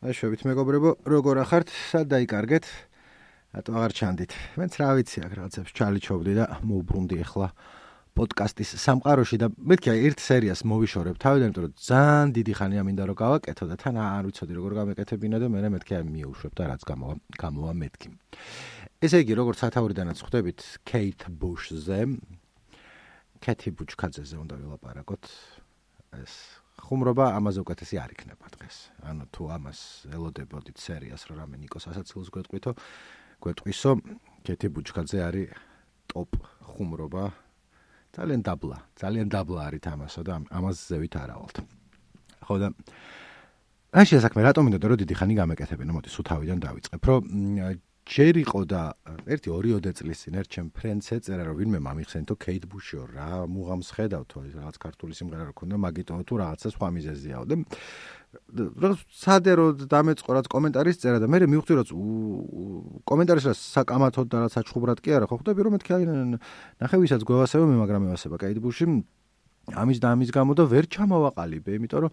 აშვებით მეგობრებო, როგორ ახართ? სად დაიკარგეთ? რატო აღარ ჩანდით? მეც რა ვიცი, აქ რაღაცებს ჩალიჩობდი და მოვბრუნდი ახლა პოდკასტის სამყაროში და მეთქი ერთ სერიას მოვიშორებ თავიდან, იმიტომ რომ ძალიან დიდი ხანია მინდა რომ გავაკეთო და თან არ ვიცოდი როგორ გამეკეთებინა და მე მეთქი მიუშვებ და რაც გამოვა მეთქი. ესე იგი, როგორც სათაურიდანაც ხვდებით, Kate Bush-ზე, Kate Bush-კაძეზე უნდა ვილაპარაკოთ. ეს ხუმრობა ამაზე უკეთესი არ იქნება დღეს. ანუ თუ ამას ელოდებოდით სერიას, რომ რამე ნიკოს ასაცილოს გვეტყვისო, Kate Bush-კაძე არის ტოპ ხუმრობა. ძალიან დაბლა არის თამასო და ამას ზევით არავალთ. ხო და ასე საქმე რატომ მინდოდა რომ დიდი ხანი გამეკეთებინა, მოდი სულ თავიდან დავიწყებ, რომ ჯერ იყო და 1-2 წლის წინ ერთ ჩემ ფრენდს ეწერა რომ ვინმე მომიხსენთო Kate Bush-ო რა მუღამს ხედავთო ის რაღაც ქართული სიმღერა რო ქონდა მაგიტო თუ რაღაცა სხვა მიზეზიაო და რაღაც სადერო დამეწყო რაც კომენტარის წერა და მე მივხვდი რომ კომენტარის რა საკამათოდ და რაც საჩხუბრად კი არა ხო ხვდები რომ მეთქი ნახე ვისაც გვევასება მე მაგრამ ევასება Kate Bush-ი ამის და ამის გამო და ვერ ჩამოვაყალიბე იმიტომ რომ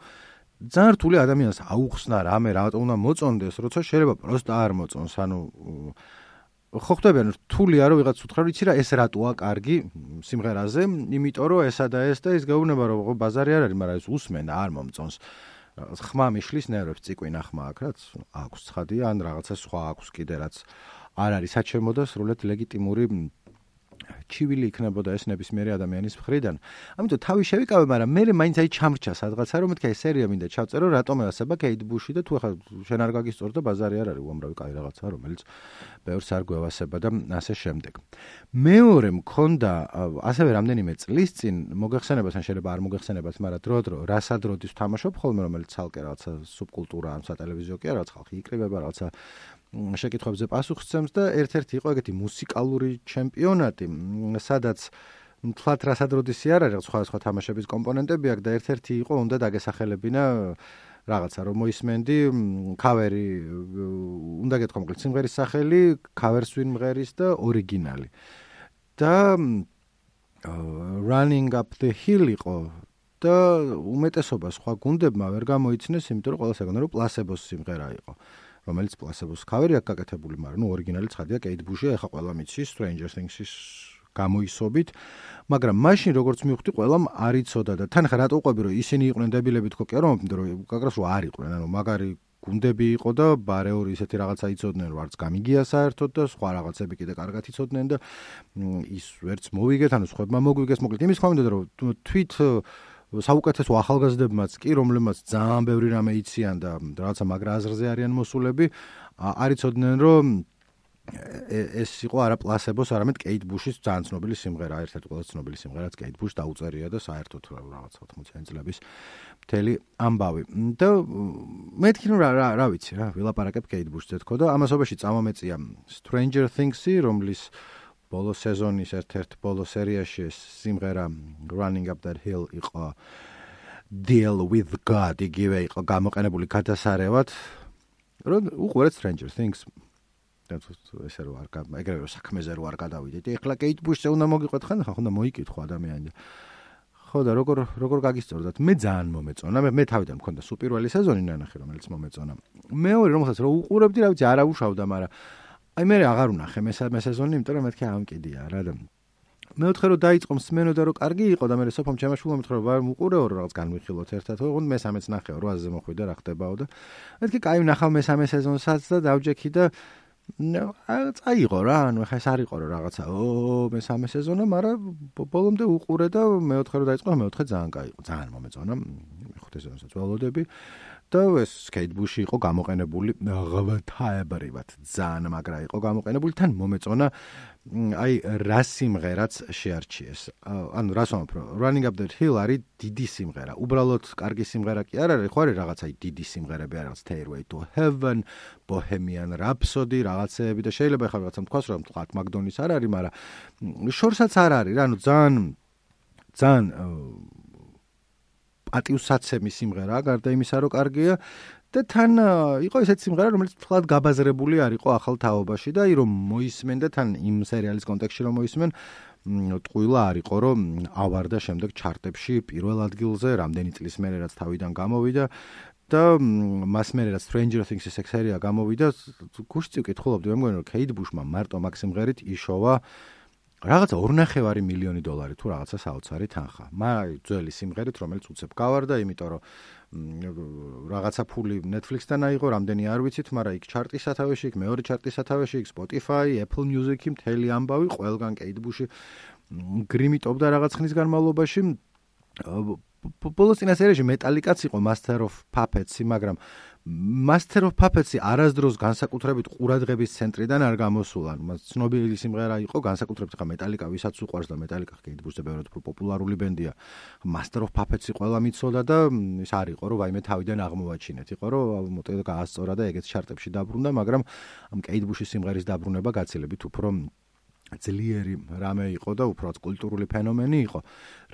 ძალიან რთული ადამიანს აუხსნა რამე რატომ უნდა მოწონდეს, როცა შეიძლება პროსტა არ მოწონს, ანუ ხო ხვდები, ანუ რთულია რომ ვიღაც უთხრა, რომ იცი რა ეს რატოა კარგი სიმღერაზე, იმიტომ რომ ესა და ეს და ის გეუბნება რომ ბაზარი არ არის, მაგრამ ეს უსმენ და არ მომწონს. ხმა მიშლის ნერვებს ციკვინა ხმა აქვს, რაც აქვს ცხადია, ან რაღაცა სხვა აქვს კიდე რაც არ არის საჩემო და სრულად ლეგიტიმური ჩივილი იქნებოდა ეს ნებისმიერი ადამიანის მხრიდან. ამიტომ თავი შევიკავე, მაგრამ მე მაინც აი ჩამრჩა სადღაცა რომ მეთქი ეს სერია მინდა ჩავწერო, რატომ ევასება Kate Bush-ი და თუ ახლა შენ არ გაგისწორ და ბაზარი არ არის უამრავი კაი რაღაცა, რომელიც ბევრს არ გვევასება და ასე შემდეგ. მეორე მქონდა ასევე რამდენიმე წლის წინ მოგეხსენებათ ან შეიძლება არ მოგეხსენებათ, მაგრამ დრო რასადროდის ვთამაშობ ხოლმე, რომელიც ცალკე რაღაცა სუბკულტურა ან სატელევიზიო კი არა, რაღაც ხალხი იკრიბება რაღაცა შეკითხვებზე პასუხს და ერთ-ერთი იყო ეგეთი მუსიკალური ჩემპიონატი, სადაც თლათ რასადროდისი არ არის სხვა თამაშების კომპონენტები აქვს და ერთ-ერთი იყო უნდა დაგესახელებინა რაღაცა რომ მოისმენდი ქავერი უნდა გეთქვა მოკლედ სიმღერის სახელი, ქავერს ვინ მღერის და ორიგინალი. და Running Up the Hill იყო და უმეტესობა სხვა გუნდებმა ვერ გამოიცნეს, იმიტომ რომ ყველას ეგონა რომ პლასებოს სიმღერა იყო. რომელიც პლასებოს ქავერი აქვს გაკეთებული, მაგრამ ნუ ორიგინალი ცხადია Kate Bush-ი, ახლა ყველა მიცის Stranger Things-ის გამოისობით, მაგრამ მაშინ როგორც მივხვდი, ყველამ არ იცოდა და თან ხა რატო უყვები რომ ისინი იყვნენ დებილები თქო კი არა, იმიტომ რომ გაგრას რომ არ იყვნენ, ანუ მაგარი გუნდები იყო და ბარეორი ისეთი რაღაცა იცოდნენ, რომ არც გამიგია საერთოდ და სხვა რაღაცები კიდე კარგად იცოდნენ და ის ვერც მოვიგეთ, ანუ სხვებმა მოგვიგეს, მოკლედ იმის ხმა მინდოდა რომ თვით საუკეთესო ახალგაზრდებმაც კი, რომლებმაც ძალიან ბევრი რამე იციან და რაღაცა მაგრა აზრზე არიან მოსულები, არ იცოდნენ რომ ეს იყო არა პლასებოს, არამედ Kate Bush-ის ძალიან ცნობილი სიმღერა, ერთ-ერთი ყველაზე ცნობილი სიმღერაც Kate Bush დაუწერია და საერთოდ რაღაცა 80-იანი წლების მთელი ამბავი. და მეთქი რომ რა ვიცი რა, ვილაპარაკებ Kate Bush-ზე თქო და ამასობაში წამომეწია Stranger Things-ი, რომლის ბოლო სეზონის ერთ-ერთ ბოლო სერიაში სიმღერა Running Up That Hill იყო Deal with God, იგივე იყო გამოყენებული გადასარევად, რომ უყურეთ Stranger Things. ესე რომ ეგრევე რომ საქმეზე რო არ გადავიდეთ. ეხლა Kate Bush-ზე უნდა მოგიყვეთ ხან, ხა უნდა მოიკითხო ადამიანი. ხო და როგორ გაგისწორდათ? მე ძალიან მომეწონა. მე თავიდან მქონდა სუპირველი სეზონი ნანახი, რომელიც მომეწონა. მეორე რომელსაც რო უყურებდი, რა ვიცი, არა უშავდა, მაგრამ აი მე აღარ ვნახე მესამე სეზონი, იმიტომ რომ მეთქი ამკიდია რა და მეოთხე რომ დაიწყო მსმენო და რომ კარგი იყო და მე სოფომ ჩემაშვილმა მეთქი რომ ვარ უყურეო რომ რაღაც განვიხილოთ ერთად, ოღონდ მესამეც ნახეო 800-ზე მოხვიდა რა ხდებაო და მეთქი კაი ვნახავ მესამე სეზონსაც და დავჯექი და წაიღო რა, ანუ ხა ეს არ იყო რომ რაღაცა მესამე სეზონი, მაგრამ ბოლომდე უყურე და მეოთხე რომ დაიწყო, მეოთხე ძალიან კაი იყო, ძალიან მომეწონა. მეხუთე სეზონსაც ველოდები. და ეს Kate Bush-ი იყო გამოყენებული ღვთაებრივად, ძალიან მაგრა იყო გამოყენებული, თან მომეწონა აი რა სიმღერაც შეარჩიეს. ანუ რას ვამბობ, Running Up That Hill არის დიდი სიმღერა. უბრალოდ კარგი სიმღერა კი არ არის, ხო არის რაღაცა დიდი სიმღერები, რაღაც Stairway to Heaven, Bohemian Rhapsody, რაღაცეები და შეიძლება ხარ რაღაცა თქვას რომ თქვა მაგდონის არ არის, მაგრამ შორსაც არ არის რა, ანუ ძალიან პატივსაცემი სიმღერაა, გარდა იმისა, რომ კარგია და თან იყო ესეთი სიმღერა, რომელიც თლად გაბაზრებული არ იყო ახალ თაობაში და რომ მოისმენ და თან იმ სერიალის კონტექსტში რომ მოისმენ, ტყუილა არ იყო, რომ ავარდა შემდეგ ჩარტებში პირველ ადგილზე, რამდენი წლის მერე რაც თავიდან გამოვიდა და მას მერე რაც Stranger Things-ის სერია გამოვიდა, გუშინ ვკითხულობდი, მე მგონი რომ Kate Bush-მა მარტო მაგ სიმღერით იშოვა რაღაცა 2.5 მილიონი დოლარი თუ რაღაცა საოცარი თანხა. ძველი სიმღერით, რომელიც უცებ გავარდა, იმიტომ რომ რაღაცა ფული Netflix-დან აიღო, რამდენი არ ვიცით, მაგრამ იქ ჩარტის სათავეში, იქ მეორე ჩარტის სათავეში, იქ Spotify, Apple Music-ი, მთელი ამბავი, ყველგან Kate Bush-ი გრიმიტობდა რაღაც ხნის განმავლობაში. ბოლოს წინა სერიაში Metallica-ც იყო Master of Puppets-ი, მაგრამ Master of Puppets-ი არასდროს განსაკუთრებით ყურადღების ცენტრიდან არ გამოსულა. მას ცნობილი სიმღერა იყო, განსაკუთრებით ხა Metallica, ვისაც უყვარს და Metallica Kate Bush-ზე ბევრად უფრო პოპულარული ბენდია. Master of Puppets-ი ყველა მიცოდა და ის არ იყო, რომ ვაიმე თავიდან აღმოვაჩინეთ. იყო, რომ მოტივი გაასწორა და ეგეც ჩარტებში დაბრუნდა, მაგრამ ამ Kate Bush-ის სიმღერის დაბრუნება გაცილებით უფრო ძლიერი რამე იყო და უბრალოდ კულტურული ფენომენი იყო.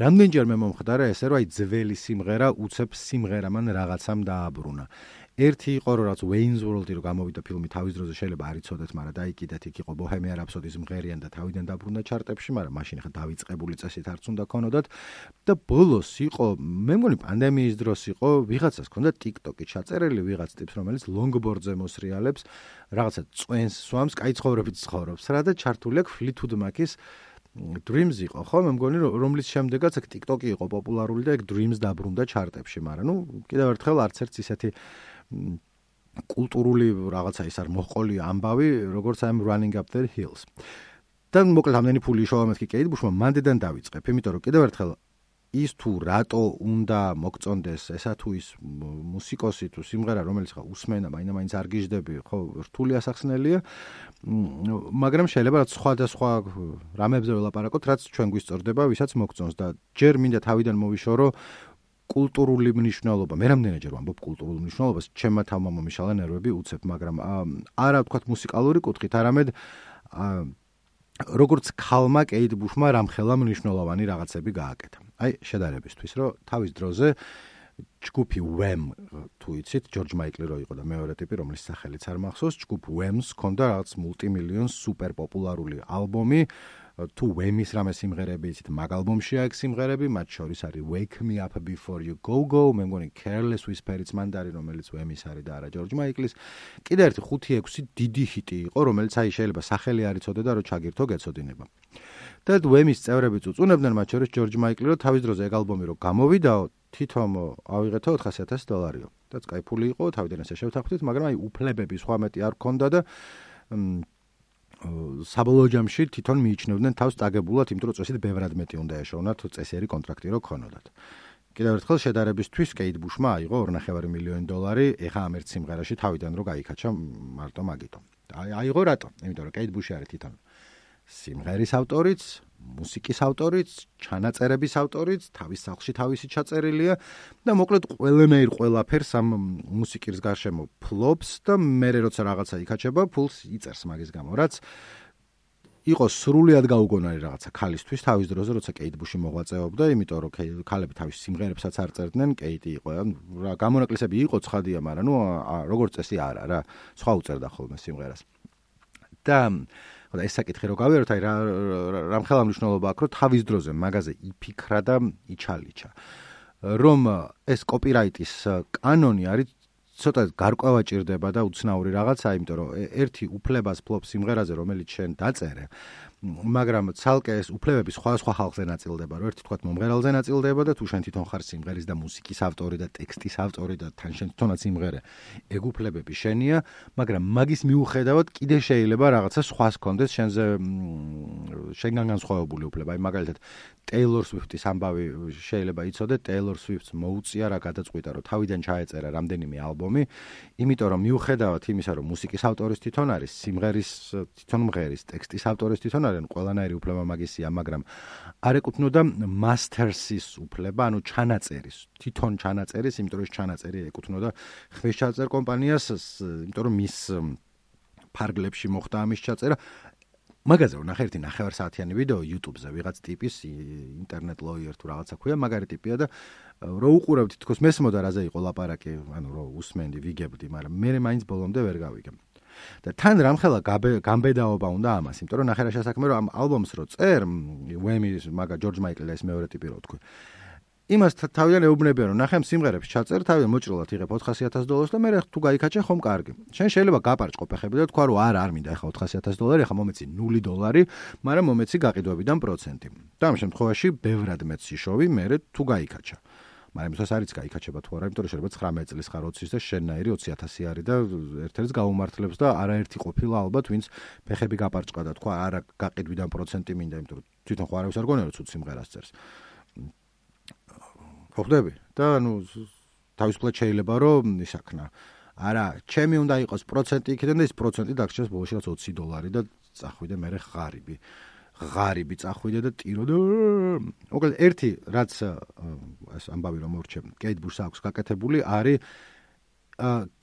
რამდენჯერ მე მომხდარა ესე, რომ აი ძველი სიმღერა უცებ სიმღერამან რაღაცამ დააბრუნა. ერთი იყო რომ რაც Wayne's World-ი რო გამოვიდა ფილმი თავის დროზე შეიძლება არ იცოდეთ, მაგრამ დაიკიდეთ, იქ იყო Bohemian Rhapsody-ის მღერიან და თავიდან დაბრუნდა ჩარტებში, მაგრამ მაშინ ხა დავიწყებული წესით არც უნდა ქონოდათ და ბოლოს იყო, მე მგონი პანდემიის დროს იყო, ვიღაცას ქონდა TikTok-ი ჩაწერილი, ვიღაც ტიპს, რომელიც longboard-ზე მოსრიალებს, რაღაცა წვენს სვამს, კაი ცხოვრებით ცხოვრობს რა და ჩართული აქვს Fleetwood Mac-ის Dreams იყო, ხო? მე მგონი რომლის შემდეგაც აქ TikTok-ი იყო პოპულარული და ეგ Dreams დაბრუნდა ჩარტებში, მაგრამ ნუ კიდევ ერთხელ არც ერთ ისეთი კულტურული რაღაცა ის არ მოყოლი ამბავი, როგორც I'm Running Up the Hills. და მოკლედ ამდენი ფული იშოვა მეთქი Kate Bush-მა მანდედან დავიწყებ, იმიტომ რომ კიდევ ერთხელ ის თუ რატო უნდა მოგწონდეს ესა თუ ის მუსიკოსი თუ სიმღერა, რომელიც ხა უსმენა, მაინც არ გიждები, ხო, რთული ასახსნელია, მაგრამ შეიძლება რაც სხვადასხვა რამებზე ველაპარაკოთ, რაც ჩვენ გვისწორდება, ვისაც მოგწონს და ჯერ მინდა თავიდან მოვიშორო კულტურული მნიშვნელობა. მე რამდენჯერ ვამბობ კულტურულ მნიშვნელობას, ჩემმა თავმა მომიშალა ნერვები უცებ, მაგრამ არა ვთქვათ მუსიკალური კუთხით, არამედ როგორც ქალმა Kate Bush-მა რამხელა მნიშვნელოვანი რაღაცები გააკეთა. აი, შედარებისთვის, რომ თავის დროზე ჯგუფი Wham, თუ იცით, George Michael რო იყო და მეორე ტიპი, რომლის სახელიც არ მახსოვს, ჯგუფ Wham-ს ჰქონდა რაღაც მულტიმილიონ სუპერ პოპულარული ალბომი, თუ Wham-ის რამე სიმღერები იცით, მაგ ალბომში აქვს სიმღერები, მათ შორის არის Wake Me Up Before You Go Go, მე მგონი Careless Whisper-იც მანდ არის, რომელიც Wham-ის არის და არა George Michael-ის. კიდე ერთი 5-6 დიდი ჰიტი იყო, რომელიც აი შეიძლება სახელი არ იცოდე და რო ჩაგირთო გეცოდინება. და Wham-ის წევრები წუწუნებდნენ, მათ შორის George Michael, რომ თავის დროზე ეგ ალბომი რო გამოვიდაო, თვითონ ავიღეთო $400,000. დაც კაი ფული იყო, თავიდან ესე შევთანხმდით, მაგრამ აი უფლებები სხვა მეტი არ ქონდა და საბოლოო ჯამში თვითონ მიიჩნევდნენ თავს წაგებულად, იმიტომ რომ წესით ბევრად მეტი უნდა ეშოვნათ წესიერი კონტრაქტი რო ქონოდათ. კიდევ ერთხელ შედარებისთვის Kate Bush-მა აიღო $2.5 მილიონი, ეხა ამ ერთ სიმღერაში თავიდან რო გაიქაჩა მარტო მაგითო. აიღო რატო? იმიტომ რომ Kate Bush-ი არის თვითონ სიმღერის ავტორიც, მუსიკის ავტორიც, ჩანაწერების ავტორიც, თავის სახლში თავისი ჩაწერილია და მოკლედ ყველანაირ ყველაფერს ამ მუსიკის გარშემო ფლობს და მერე როცა რაღაცა იქაჩება, ფულს იწერს მაგის გამო, რაც იყო სრულიად გაუგონარი რაღაცა ქალისთვის თავის დროზე, როცა Kate Bush-ი მოღვაწეობდა, იმიტომ რომ ქალები თავის სიმღერებსაც არ წერდნენ, Kate იყო, რა გამონაკლისები იყო ცხადია, მაგრამ ნუ როგორც წესი არა რა, სხვა უწერდა ხოლმე სიმღერას. და და ეს საკითხი რო გავიაროთ, აი რამხელა მნიშვნელობა აქვს, რომ თავის დროზე მაგაზე იფიქრა და იჩალიჩა. რომ ეს კოპირაიტის კანონი არის ცოტა გარკვევა ჭირდება და უცნაური რაღაცა, იმიტომ რომ ერთი უფლებას ფლობს სიმღერაზე, რომელიც შენ დაწერე, მაგრამ ცალკე ეს უფლებები სხვა ხალხზე ნაწილდება, რომ ერთი თქვათ მომღერალზე ნაწილდება და თუ შენ თვითონ ხარ სიმღერის და მუსიკის ავტორი და ტექსტის ავტორი და თან შენ თვითონაც სიმღერე, ეგ უფლებები შენია, მაგრამ მაგის მიუხედავად კიდე შეიძლება რაღაცა სხვას კონდეს შენგან განსხვავებული უფლება. აი მაგალითად Taylor Swift-ის ამბავი შეიძლება იცოდე, Taylor Swift-ს მოუწია რა გადაწყვიტა, რომ თავიდან ჩაეწერა რამდენიმე ალბომი, იმიტომ რომ მიუხედავად იმისა, რომ მუსიკის ავტორის თვითონ არის, სიმღერის თვითონ მღერის, ტექსტის ავტორის თვითონ არის, ყველანაირი უფლება მაგისია, მაგრამ არ ეკუთვნოდა master-ის უფლება, ანუ ჩანაწერის, თვითონ ჩანაწერის, იმიტომ რომ ეს ჩანაწერი ეკუთვნოდა ხვეშჩაწერ კომპანიას, იმიტომ რომ მის ფარგლებში მოხდა ამის ჩაწერა. მაგაზე რომ ნახე ერთი 9 საათიანი ვიდეო YouTube-ზე ვიღაც ტიპის ინტერნეტ ლოიერ თუ რაღაცა ქვია, მაგარი ტიპია და რო უყურავთ თქოს მესმოდა რაზე იყო ლაპარაკი, ანუ რო უსმენდი, ვიგებდი, მაგრამ მე მაინც ბოლომდე ვერ გავიგე. და თან რამხელა გამბედაობა უნდა ამას, იმიტომ რომ ნახე რა შესაქმე რომ ამ ალბომს რო წერ, Wham-ის მაგა George Michael-ის მეორე ტიპი რო თქვი. იმას თავიდან ეუბნებიან, რომ ნახე სიმღერებს ჩაწერ, თავიდან მოჭრილად იღებ $400,000 და მე თუ გაიქაჩე ხომ კარგი. შენ შეიძლება გაპარჭყო ფეხები და თქვა, რომ არ მინდა ეხა $400,000, ეხა მომეცი $0, მაგრამ მომეცი გაყიდვებიდან პროცენტი. და ამ შემთხვევაში ბევრად მეც სიშოვი მე თუ გაიქაჩა. მაგრამ იმას არიც გაიქაჩება თუ არა, იმიტომ რომ შეიძლება 19 წლის ხარ 20-ის და შენნაირი 20,000 არის და ერთ-ერთს გაუმართლებს და არაერთი ყოფილა ალბათ, ვინც ფეხები გაპარჭყა და თქვა არა გაყიდვიდან პროცენტი მინდა, იმიტომ რომ თვითონ ხო არავის არ გონია რომ ცუდ სიმღერას წერს. ხვდები და თავისუფლად შეიძლება რომ ისაქნა. არა, ჩემი უნდა იყოს პროცენტი იქიდან და ეს პროცენტი დაგჭირს ბოლოში რაც $20 და წახვიდე მე ღარიბი წახვიდე და ტირო და მოკლედ ერთი რაც ეს ამბავი რომ მორჩე კეით ბუშს აქვს გაკეთებული არის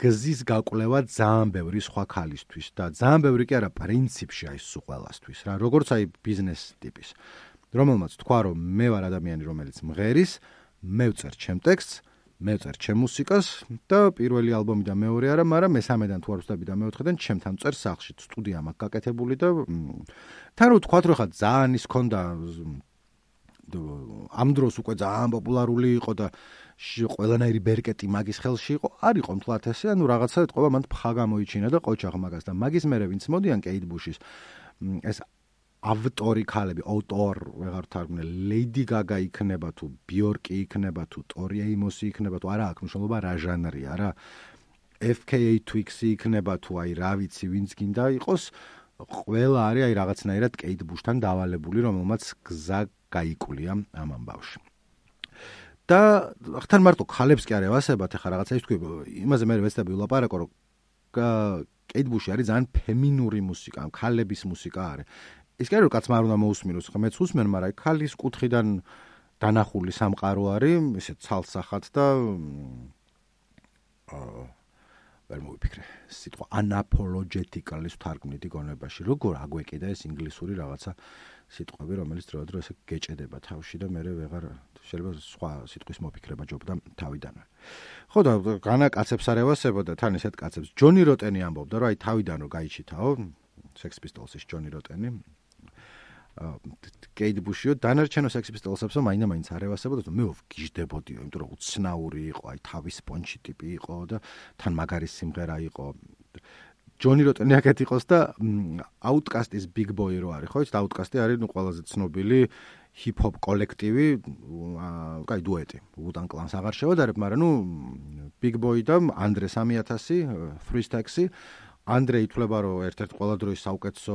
გზის გაკვლევა ძალიან ბევრი სხვა ქალისთვის და ძალიან ბევრი კი არა პრინციპში აი სულ ყველასთვის რა როგორც აი ბიზნეს ტიპის რომელმაც თქვა რომ მე ვარ ადამიანი რომელიც მღერის მე ვწერ ჩემ ტექსტს მე ვწერ ჩემ მუსიკას და პირველი ალბომი და მეორე არა, მაგრამ მესამედან თუ არ ვწდები და მეოთხედან ჩემთან წერ სახლში სტუდია მაქვს გაკეთებული და თან რო თქვა რომ ხა ძალიან ის ქონდა ამ დროს უკვე ძალიან პოპულარული იყო და ყველანაირი ბერკეტი მაგის ხელში იყო, არ იყო მთლად ესე, ანუ რაღაცა ეთყობა მან ფხა გამოიჩინა და ყოჩაღ მაგას და მაგის მერე ვინც მოდიან კეით ბუშის ეს ავტორი ქალები, ავტორ ვეღარ თარგმნე, ლეიდი გაგა იქნება თუ ბიორკი იქნება თუ ტორი ეიმოსი იქნება თუ არა აქვს მნიშვნელობა რა ჟანრია რა FKA Twigs-ი იქნება თუ აი რა ვიცი ვინც გინდა იყოს ყველა არის აი რაღაცნაირად კეით ბუშთან დავალებული რომელმაც გზა გაიკვლია ამ ამბავში და ხთან მარტო ქალებს კი არ ევასებათ ახლა რაღაცა ის თქვი იმაზე მე ვეცდები ვილაპარაკო რომ კეით ბუში არის ძალიან ფემინური მუსიკა ქალების მუსიკა არის ის კი არა რომ კაცმა არ უნდა მოусმინოს, ხა მეც უსმენ, მაგრამ ქალის კუთხიდან დანახული სამყარო არის, ისე ცალსახად და ვერ მოვიფიქრე. სიტყვა unapologetically თარგმნით იგონებაში, როგორ აგვეკიდა ეს ინგლისური რაღაცა სიტყვები, რომელიც დროდადრო ესე გეჭედება თავში და მე ვეღარ შეიძლება სხვა სიტყვის მოფიქრება ჯობდა თავიდანვე. ხო და განაკაცებს არ ევასებოდა თან ესეთ კაცებს. ჯონი როტენი ამბობდა, რომ აი თავიდან რომ გაიჩითაო, Sex Pistols-ის ჯონი როტენი კეით ბუშიო დანარჩენო Sex Pistols-ებსო მაინდა-მაინც არ ევასებოდა, მე ვგიჟდებოდიო, იმიტომ რომ უცნაური იყო, აი თავის პონჩი ტიპი იყო და თან მაგარი სიმღერა იყო. ჯონი როტენი აქეთ იყოს და Outkast-ის Big Boy რო არის, ხო იცით, Outkast-ი არის ყველაზე ცნობილი ჰიპ-ჰოპ კოლექტივი, კაი დუეტი. Wu-Tang Clan-ს აღარ შევადარებ, მაგრამ Big Boy და Andre 3000, Three Stacks-ი Andre ითვლება რომ ერთ-ერთ ყველა დროის საუკეთესო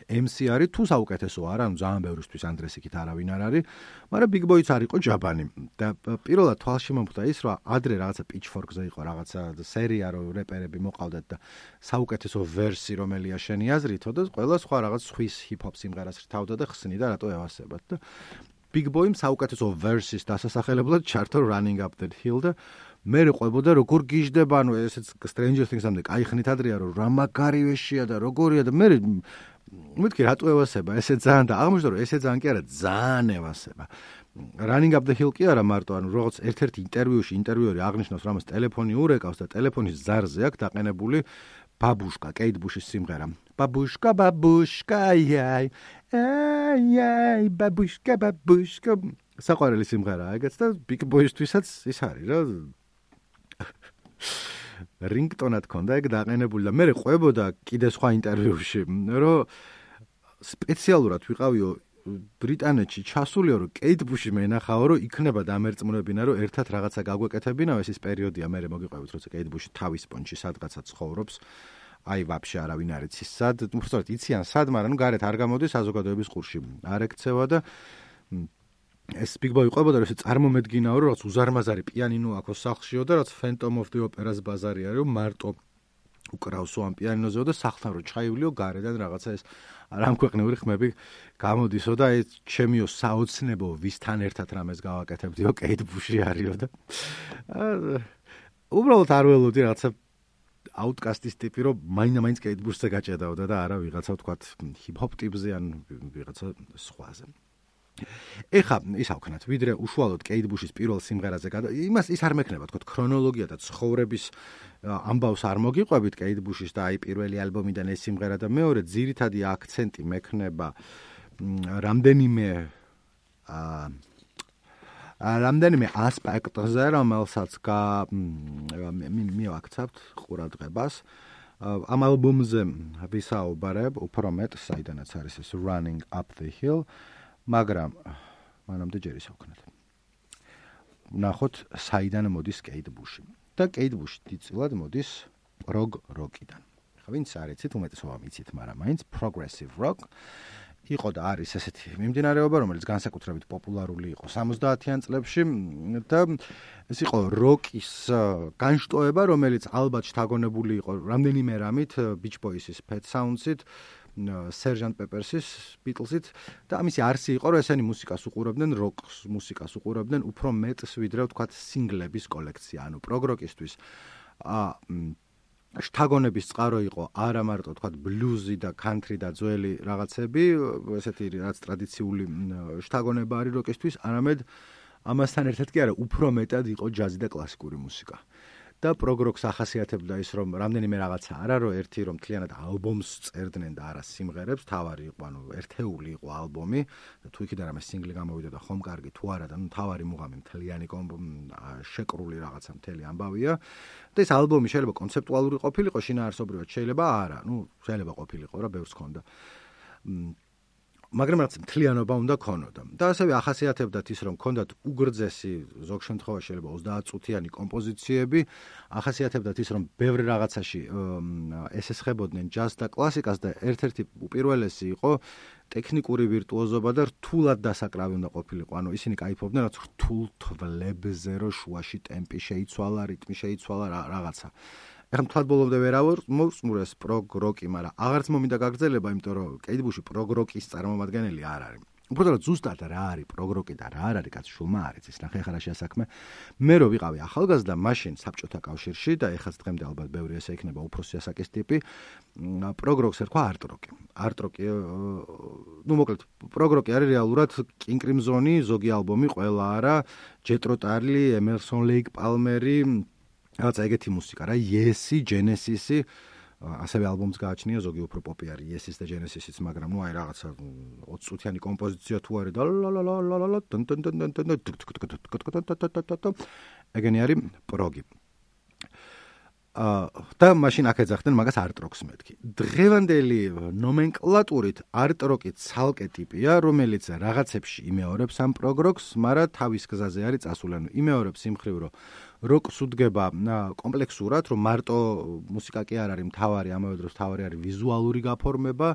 MC არის თუ საუკეთესო არა, ანუ ძალიან ბევრისთვის Andres იქით არავინ არ არის, მაგრამ Big Boy-ც არ იყო ჯაბანი და პირველად თვალში მომხვდა ის, რომ ადრე რაღაცა Pitchfork-ზე იყო რაღაცა სერია, რომ რეპერები მოყავდათ და საუკეთესო ვერსი რომელია შენი აზრითო და ყველა სხვა რაღაც Swiss hip-hop სიმღერას რთავდა და ხსნიდა რატო ევასებათ და Big Boy-მ საუკეთესო ვერსის დასასახელებლად ჩართო Running Up That Hill და მე ყვებოდა როგორ გიჟდება, ანუ ესეც Stranger Things-ამდე кайხნით ადრეა რომ რა მაგარივეშია და როგორია და მე მეთქი რატო ევასება ესე ძალიან და აღმოჩნდა რომ ესე ძალიან კი არა ძალიან ევასება Running Up The Hill კი არა მარტო ანუ როგორც ერთ-ერთი ინტერვიუში ინტერვიუერი აღნიშნავს რომ ამას ტელეფონი ურეკავს და ტელეფონის ზარზე აქვს დაყენებული ბაბუშკა კეით ბუშის სიმღერა ბაბუშკა ბაბუშკა აი აი ბაბუშკა საყვარელი სიმღერაა ეგეც და Big Boy-ისთვისაც ის არის რა რინგტონად ქონდა ეგ დაყენებული და მე ყვებოდა კიდე სხვა ინტერვიუში რომ სპეციალურად ვიყავიო ბრიტანეთში ჩასულიო რომ კეით ბუში მენახაო რომ იქნება დამერწმუნებინა რომ ერთად რაღაცა გაგვეკეთებინა ეს პერიოდია მე მოგიყვებით როცა კეით ბუში თავის პონჩი სადღაცა ცხოვრობს აი ვაფშე არავინ არ იცის სად უბრალოდ იციან სად მაგრამ გარეთ არ გამოდის საზოგადოების ყურში არ ეკცევა და ეს Big Boy ყვებოდა რომ ეს წარმომედგინაო რომ რაც უზარმაზარი პიანინო აქვს სახლშიო და რაც Phantom of the Opera-ს ბაზარი არის რომ მარტო უკრავსო ამ პიანინოზეო და სახლთან რო ჩაივლიო გარედან რაღაცა ეს არამქვეყნიური ხმები გამოდისო და ეს ჩემიო საოცნებო ვისთან ერთად რამეს გავაკეთებდიო კეით ბუში არისო და უბრალოდ არ ველოდი რაღაცა Outkast-ის ტიპი რომ მაინდა-მაინც კეით ბუშზე გაჭედაოდა და არა ვიღაცა ვთქვათ ჰიპ-ჰოპ ტიპზე ან ვიღაცა სხვაზე ეხა ის ავქნათ ვიდრე უშუალოდ კეით ბუშის პირველ სიმღერაზე იმას ის არ მექნება თქო ქრონოლოგია და ცხოვრების ამბავს არ მოგიყვებით კეით ბუშის და აი პირველი ალბომიდან ეს სიმღერა და მეორე ძირითადი აქცენტი მექნება რამდენიმე რამდენიმე ასპექტზე, რომელსაც მივაქცევთ ყურადღებას. ამ ალბომზე ვისაუბრებ უფრო მეტ, საიდანაც არის ეს Running Up the Hill, მაგრამ მანამდე ჯერ ისე ვქნათ. ვნახოთ, საიდან მოდის Kate Bush. და Kate Bush დიდწილად მოდის prog rock-იდან. ვინც არ იცით, უმეტესობა მიცით, მაგრამ მაინც progressive rock იყო და არის ესეთი მიმდინარეობა, რომელიც განსაკუთრებით პოპულარული იყო 70-იან წლებში და ეს იყო როკის განშტოება, რომელიც ალბათ შთაგონებული იყო რამდენიმე რამით, Beach Boys-ის Pet Sounds-ით, Sgt. Pepper-ის Beatles-ით და ამისი არსი იყო, რომ ესენი მუსიკას უყურებდნენ, როკს მუსიკას უყურებდნენ უფრო მეტს, ვიდრე ვთქვათ სინგლების კოლექცია, ანუ prog rock-ისთვის შთაგონების წყარო იყო არა მარტო თქვა ბლუზი და კანტრი და ძველი რაღაცები, ესეთი რაც ტრადიციული შთაგონება არის როკისთვის, არამედ ამასთან ერთად კი არა, უფრო მეტად იყო ჯაზი და კლასიკური მუსიკა. და prog rock-ს ახასიათებდა ის, რომ რამდენიმე რაღაცა არა, რომ ერთი რომ მთლიანად ალბომს წერდნენ და არა სიმღერებს, თავარი იყო, ანუ ერთეული იყო ალბომი, თუ იქიდან რამე სინგლი გამოვიდა და ხომ კარგი თუ არა, და ნუ თავარი მუღამი მთლიანი შეკრული რაღაცა მთელი ამბავია. და ეს ალბომი შეიძლება კონცეპტუალური ყოფილიყო, შინაარსობრივად შეიძლება არა, ნუ შეიძლება ყოფილიყო რა, ბევრს ჰქონდა. მაგრამ რაც მთლიანობა უნდა ქონოდა. და ასევე ახასიათებდათ ის, რომ ქონდათ უგრძესი, ზოგ შემთხვევაში შეიძლება 30 წუთიანი კომპოზიციები, ახასიათებდათ ის, რომ ბევრ რაღაცაში ესესხებოდნენ ჯაზს და კლასიკას და ერთ-ერთი უპირველესი იყო ტექნიკური ვირტუოზობა და რთულად დასაკრავი უნდა ყოფილიყო. ანუ ისინი кайფობდნენ, რაც რთულ თვლებზე, რო შუაში ტემპი შეიცვალა, რიტმი შეიცვალა რაღაცა. ეხლა მთლად ბოლომდე ვერ მოვსმურეს prog rock-ი, მაგრამ აღარც მომინდა გაგრძელება, იმიტომ რომ Kate Bush prog rock-ის წარმომადგენელი არ არის. უბრალოდ ზუსტად რა არის prog rock-ი და რა არ არის, კაც შულმა არ იცის, ნახე ხა რა შეასაქმე. მე რო ვიყავი ახალგაზრდა, მაშინ საბჭოთა კავშირში და ეხაც დღემდე ალბათ ბევრი ესე იქნება უფროსი ასაკის ტიპი, prog rock-ს ერქვა art rock-ი. art rock-ი, ნუ მოკლედ, prog rock-ი არის რეალურად King Crimson-ი, ზოგი ალბომი, ყველა არა, Jethro Tull, Emerson Lake Palmer-ი რაღაცა ეგეთი მუსიკა რა, Yes-ი, Genesis-ი, ასევე ალბომს გააჩნია, ზოგი უფრო პოპი არის Yes-ის და Genesis-იც, მაგრამ ნუ აი რაღაცა 20 წუთიანი კომპოზიცია თუ არის და ლალალალალალ ეგენი არის პროგი. და მაშინ აქ ეძახდნენ მაგას art rock-ს მეთქი. დღევანდელი ნომენკლატურით art rock-ი ცალკე ტიპია, რომელიც რაღაცებში იმეორებს ამ prog rock-ს, მაგრამ თავის გზაზე არის წასული, ანუ იმეორებს იმ ხრივ, რომ როკს უდგება კომპლექსურად, რომ მარტო მუსიკა კი არ არის მთავარი, ამავე დროს მთავარი არის ვიზუალური გაფორმება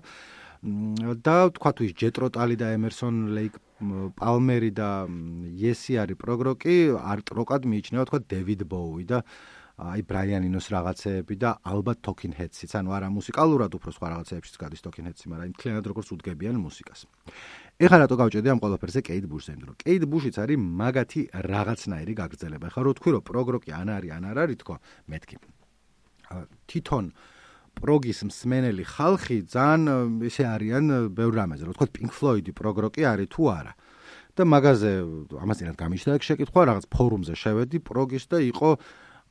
და თქვა თუ ის Jethro Tull და Emerson Lake Palmer და Yes-ი არის prog rock-ი, art rock-ად მიიჩნევა თქვა David Bowie და აი Brian Eno's რაღაცეები და ალბათ Talking Heads-იც, ანუ არა მუსიკალურად უფრო სხვა რაღაცეებშიც გადის Talking Heads-ი, მაგრამ იმ მთლიანად როგორც უდგებიან მუსიკას. ეხლა რატო გავჭედი ამ ყველაფერზე Kate Bush-ზე, იმიტომ რომ Kate Bush-იც არის მაგათი რაღაცნაირი გაგრძელება. ეხლა რო თქვი რომ prog rock-ი ან არ არის თქო, მეთქი. თვითონ პროგის მსმენელი ხალხი ძალიან ისე არიან ბევრ რამეზე, რო თქვა Pink Floyd-ი prog rock-ი არის თუ არა. და მაგაზე ამასინად გამიშდა ეგ შეკითხვა, რაღაც ფორუმზე შევედი პროგის და იყო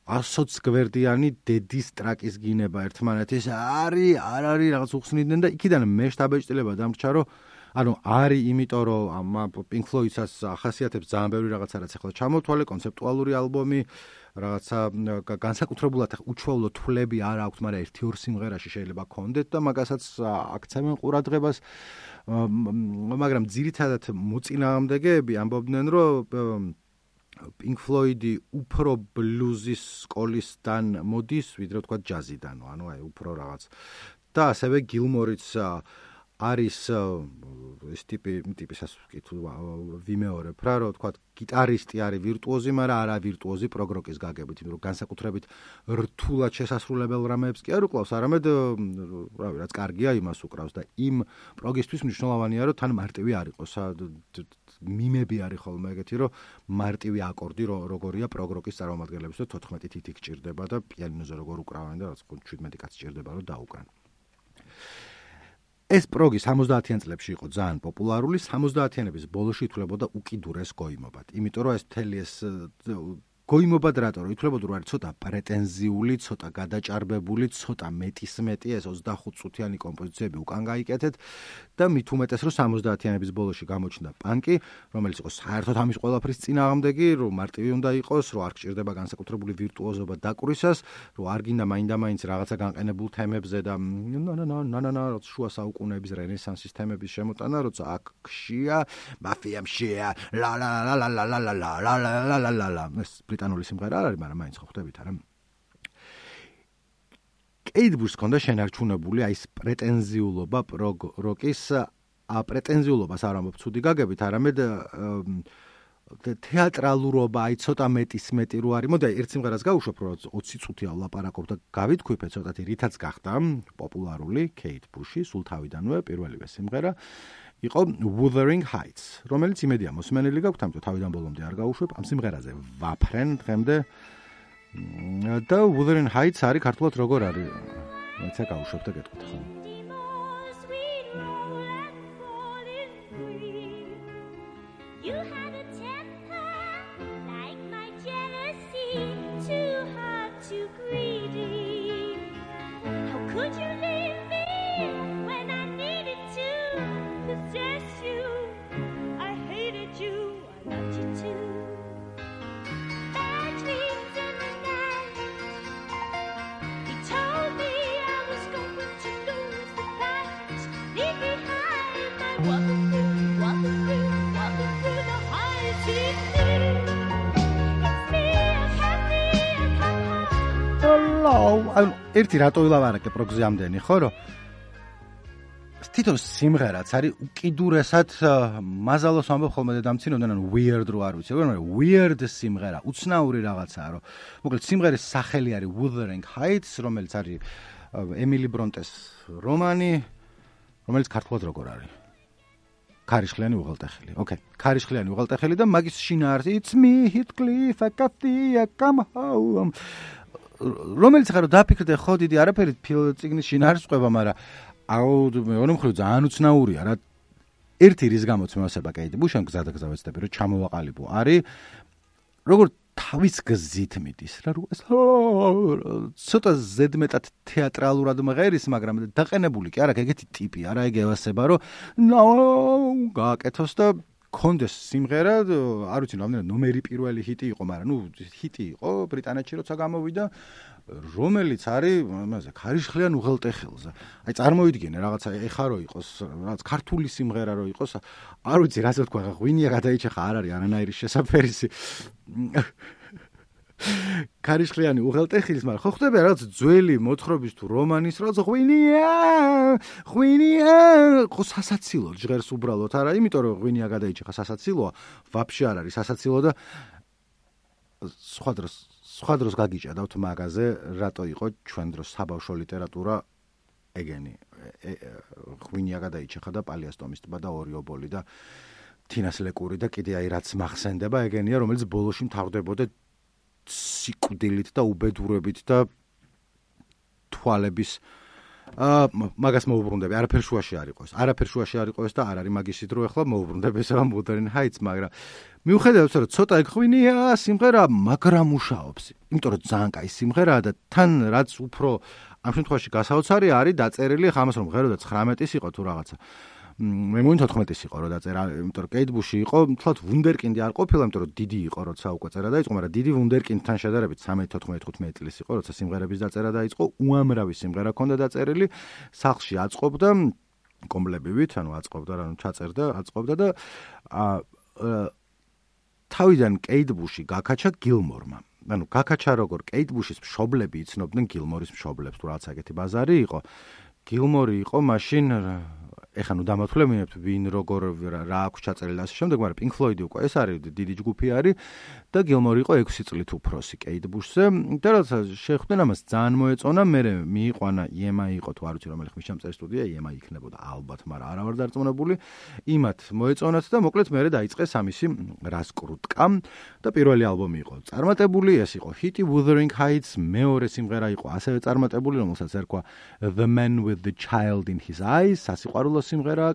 100 გვერდიანი დედის ტრაკის გინება ერთმანეთის არის, არ არის, რაღაც უხსნიდნენ და იქიდან მე შთაბეჭდილება დამრჩა, რომ ანუ არის იმიტომ, რომ ამ Pink Floyd-ს ახასიათებს ძალიან ბევრი რაღაცა, რაც ახლა ჩამოთვალე, კონცეპტუალური ალბომი, რაღაცა განსაკუთრებულად უჩვეულო თვლები არ აქვს, მაგრამ 1-2 სიმღერაში შეიძლება გქონდეთ და მაგასაც აქცევენ ყურადღებას, მაგრამ ძირითადად მოწინააღმდეგეები ამბობდნენ, რომ Pink Floyd-ი უფრო ბლუზის სკოლისგან მოდის, ვიდრე თქვა ჯაზიდან, ანუ აი უფრო რაღაც. და ასევე Gilmore-იც არის ეს ტიპისას ვკითხულობ, ვიმეორებ რა, რომ თქვა გიტარისტი არის ვირტუოზი, მაგრამ არა ვირტუოზი prog rock-ის გაგებით, იმიტომ რომ განსაკუთრებით რთულად შესასრულებელ რამეებს კი არ უკლავს, არამედ რავი, რაც კარგია, იმას უკრავს და იმ პროგისთვის მნიშვნელოვანია, რომ თან მარტივი არ იყოს. მიმები არის ხოლმე ეგეთი, რომ მარტივი აკორდი როგორია prog rock-ის წარმომადგენლებს და 14 თითი გჭირდება და პიანინოზე როგორ უკრავენ და რაც 17 კაცი გჭირდება რომ დაუკრან. ეს პროგი 70-იან წლებში იყო ძალიან პოპულარული, 70-იანების ბოლოში ითვლებოდა უკიდურეს გოიმობად. იმიტომ რომ ეს მთელი ეს გოიმობად რატო ითვლებოდა რომ არის ცოტა პრეტენზიული, ცოტა გადაჭარბებული, ცოტა მეტისმეტი ეს 25 წუთიანი კომპოზიციები უკან გაიკეთეთ და მით უმეტეს რომ 70-იანების ბოლოში გამოჩნდა პანკი, რომელიც იყო საერთოდ ამის ყველაფრის წინააღმდეგი, რომ მარტივი უნდა იყოს, რომ არ გჭირდება განსაკუთრებული ვირტუოზობა დაკვრისას, რომ არ გინდა მაინდა-მაინც რაღაცა განყენებულ თემებზე და როცა შუა საუკუნეების რენესანსის თემების შემოტანა, როცა აქ ხშია, მაფიამშია, ლა ლა ლა ლა ლა ლა ლა ლა ლა ლა ლა ლა ეს ბრიტანული სიმღერა არ არის, მაგრამ მაინც ხო ხვდებით არა? კეით ბუშს ჰქონდა შენარჩუნებული აი ეს პრეტენზიულობა პროგ-როკის პრეტენზიულობას არ ამბობ ცუდი გაგებით, არამედ თეატრალურობა, აი ცოტა მეტისმეტი რო არის. მოდი ერთ სიმღერას გავუშვებ, რომ 20 წუთია ვლაპარაკობ და გავითქვიფე ცოტათი, რითაც გახდა პოპულარული კეით ბუში, სულ თავიდანვე პირველივე სიმღერა იყო Wuthering Heights, რომელიც იმედია მოსმენილი გაქვთ, ამიტომ თავიდან ბოლომდე არ გავუშვებ. ამ სიმღერაზე ვაფრენ დღემდე და Wuthering Heights არის ქართულად როგორ არის? მეცა გავუშვებ და გეტყვით ხო? ერთი რატო ვილაპარაკე პროგზე ამდენი, ხო რომ თვითონ სიმღერაც არის უკიდურესად მაზალოს ამბობ ხოლმე დედამცინოდან weird რო არ ვიცი, მაგრამ weird სიმღერა, უცნაური რაღაცაა, რომ მოკლედ სიმღერის სახელი არის Wuthering Heights, რომელიც არის ემილი ბრონტეს რომანი, რომელიც ქართულად როგორ არის? ქარიშხლიანი უღელტეხილი. ოკეი, ქარიშხლიანი უღელტეხილი და მაგის შინაარსი It's me Heathcliff, I come home. რომელიც ხარო დაფიქრდე ხო დიდი არაფერი ფილმის შინაარსს ყვება, მაგრამ მეორე მხრივ ძალიან უცნაურია რა. ერთი რის გამოც მევასება კეით ბუშს გზადაგზა ვეცდები რომ ჩამოვაყალიბო არის როგორ თავის გზით მიდის რა, ცოტა ზედმეტად თეატრალურად მღერის, მაგრამ დაყენებული კი არა, ეგეთი ტიპი არა, ეგ ევასება რომ გააკეთოს და კონდეს სიმღერა, არ ვიცი რამდენად ნომერი პირველი ჰიტი იყო, მაგრამ ჰიტი იყო ბრიტანეთში როცა გამოვიდა, რომელიც არის მასე ქარიშხლიან უღელტეხილზე. აი წარმოვიდგინე რაღაცა ეხა რო იყოს, რაღაც ქართული სიმღერა რო იყოს, არ ვიცი რასაც თქვა, ღვინია გადაიჭეხა, არ არის არანაირი შესაფერისი. ქარიშხლიანი უღელტეხილის, მაგრამ ხო ხდება რაღაც ძველი მოთხრობის თუ რომანის რაღაც ღვინია, ხო სასაცილო ჟღერს უბრალოდ არა, იმიტომ რომ ღვინია გადაიჭეხა სასაცილოა, ვაფშე არ არის სასაცილო და სხვა დროს გაგიჭედავთ მაგაზე, რატო იყო ჩვენ დროს საბავშვო ლიტერატურა ეგენი ღვინია გადაიჭეხა და პალიასტომის ტბა და ორი ობოლი და თინას ლეკური და კიდე აი რაც მახსენდება ეგენია, რომელიც ბოლოში მთავრდებოდა სიკვდილით და უბედურებით და თვალების მაგას მოუბრუნდები, არაფერ შუაში არ იყოს და არ არის მაგის დრო, ახლა მოუბრუნდები ეს ამ Wuthering Heights, მაგრამ მიუხედავად რომ ცოტა ღვინია სიმღერა, მაგრამ მუშაობს, იმიტომ რომ ძალიან კაი სიმღერაა და თან რაც უფრო ამ შემთხვევაში გასაოცარი არის დაწერილი, ხამას რომ ღერო და 19-ის იყო თუ რაღაცა. მე მგონი 14-ის იყო რომ დაწერა, იმიტომ რომ კეით ბუში იყო, თლათ ვუნდერკინდი არ ყოფილა, იმიტომ რომ დიდი იყო, როცა უკვე წერა დაიწყო, მაგრამ დიდი ვუნდერკინდთან შედარებით 13-14-15 წლის იყო, როცა სიმღერების დაწერა დაიწყო, უამრავი სიმღერა ჰქონდა დაწერილი, სახლში აწყობდა კომბლებივით, ანუ აწყობდა, ჩაწერდა, აწყობდა და თავიდან კეით ბუში გაკაჩა გილმორმა. ანუ გაკაჩა როგორ კეით ბუშის მშობლები იცნობდნენ გილმორის მშობლებს, თუ რაღაც ეგეთი ბაზარი იყო. გილმორი იყო მაშინ ეხა ნუ დამათვლებინებთ ვინ როგორ რა აქვს ჩაწერილი და ასე შემდეგ, მაგრამ Pink Floyd უკვე ეს არის დიდი ჯგუფი არის და გილმორი იყო 6 წლით უფროსი კეით ბუშზე და როცა შეხვდნენ ამას ძალიან მოეწონა, მე მიიყვანა EMI იყო თუ არ ვიცი რომელი ხმის ჩამწერი სტუდია, EMI იქნებოდა ალბათ, მაგრამ არა ვარ დარწმუნებული, იმათ მოეწონათ და მოკლედ მე დაიწყეს ამისი რასკრუტკა და პირველი ალბომი იყო წარმატებული, ეს იყო ჰიტი Wuthering Heights, მეორე სიმღერა იყო ასევე წარმატებული, რომელსაც ერქვა The Man with the Child in His Eyes, სასიყვარულო საყოველთაო სიმღერაა,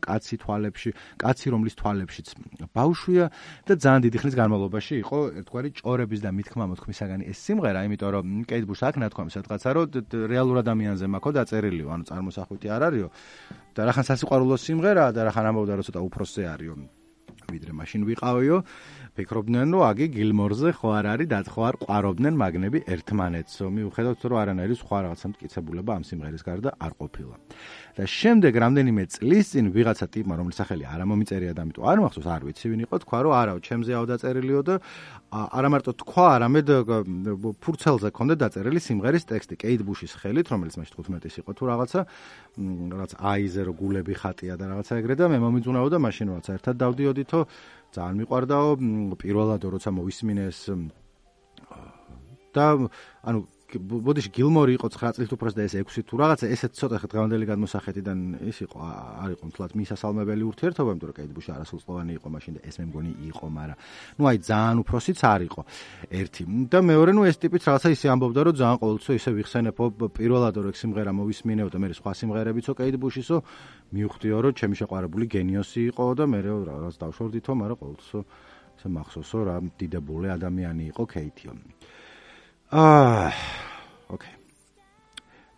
კაცი რომლის თვალებშიც ბავშვია და ძალიან დიდი ხნის განმავლობაში იყო ერთგვარი ჭორების და მithქმა-მოთქმისაგანი ეს სიმღერა, იმიტომ რომ კეით ბუშს აქ ნათქვამი სადღაცა რომ რეალურ ადამიანზე მაქვს დაწერილიო, ანუ წარმოსახვიტი არ არისო და რახან სასიყვარულო სიმღერაა და რახან ამბობდა რომ ცოტა უფროსზე არისო ვიდრე მაშინ ვიყავიო, ფიქრობდნენ რომ აგი გილმორზე ხო არ არის, ხო არ ყვარობდნენ მაგნები ერთმანეთსო, მიუხედავად რომ არანაირი სხვა რაღაცა მტკიცებულება ამ სიმღერის გარდა არ ყოფილა. და შემდეგ რამდენიმე წლის წინ ვიღაცა ტიპმა, რომლის სახელი არ მომიწერია და ამიტომ არ მახსოვს, არ ვიცი ვინ იყო, თქვა რომ არაო, ჩემზეაო დაწერილიო და არა მარტო თქვა, არამედ ფურცელზე ქონდა დაწერილი სიმღერის ტექსტი, კეით ბუშის ხელით, რომელიც მაშინ 15-ის იყო თუ რაღაცა აიზე რო გულები ხატია და რაღაცა ეგრე და მე მომიძუნაო და მაშინ როცა ერთად დავდიოდითო ძალიან მიყვარდაო, პირველად როცა მოვისმინეს და ანუ ბოდიში გილმორი იყო 9 წლით უფროსი და ეს 6 თუ რაღაცა, ესეც ცოტა დღევანდელი გადმოსახედიდან ის იყო, არ იყო მთლად მისასალმებელი ურთიერთობა, იმიტომ რომ კეით ბუში არასრულწლოვანი იყო მაშინ და ეს მე მგონი იყო, მაგრამ ნუ აი ძალიან უფროსიც არ იყო ერთი. და მეორე ნუ ეს ტიპიც რაღაცა ისე ამბობდა, რომ ძალიან ყოველთვის ისე ვიხსენებო პირველად რომ ეს სიმღერა მოვისმინეო და მე სხვა სიმღერებიცო კეით ბუშისო, მივხვდიო რომ ჩემი შეყვარებული გენიოსი იყო და მე რაღაც დავშორდითო, მაგრამ ყოველთვის ესე მახსოვსო რა დიდებული ადამიანი იყო კეითიო. ოკეი.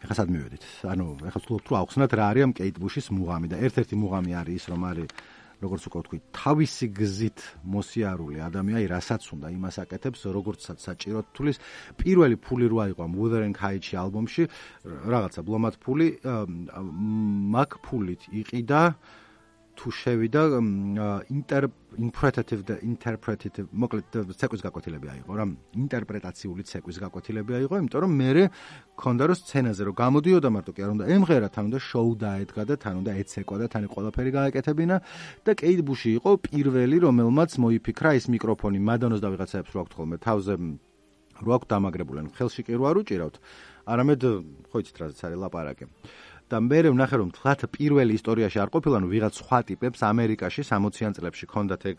ეხლა სად მივედით? ანუ ეხლა ვთქვით რომ ავხსნათ რა არის ამ კეით ბუშის მუღამი და ერთ-ერთი მუღამი არის ის რომ არის როგორც უკვე ვთქვი, თავისი გზით მოსიარული ადამიანი, რასაც უნდა იმას აკეთებს, როგორცაც საჭიროდ თulis პირველი ფული რო აიღო ამ Wuthering Heights ალბომში, რაღაცა ბლომად ფული, მაგ ფულით იყიდა თუ შევიდა interpretative მოკლედ ცეკვის გაკვეთილები აიღო რა, ინტერპრეტაციული ცეკვის გაკვეთილები აიღო, იმიტომ რომ მე მქონდა რომ სცენაზე რომ გამოდიოდა მარტო კი არ უნდა ემღერა, თან უნდა შოუ დაედგა და თან უნდა ეცეკვა და თან ყველაფერი გააკეთებინა და კეით ბუში იყო პირველი, რომელმაც მოიფიქრა ის მიკროფონი მადონოს და ვიღაცაებს რო აქვთ ხოლმე თავზე რო აქვთ დამაგრებული, ხელში კი რო არ უჭირავთ, არამედ ხო იცით რაზეც არის ლაპარაკი. და მე ვნახე რომ თლათ პირველი ისტორიაში არ ყოფილა, ნუ ვიღაც სხვა ტიპებს ამერიკაში 60-იან წლებში ჰქონდათ ეგ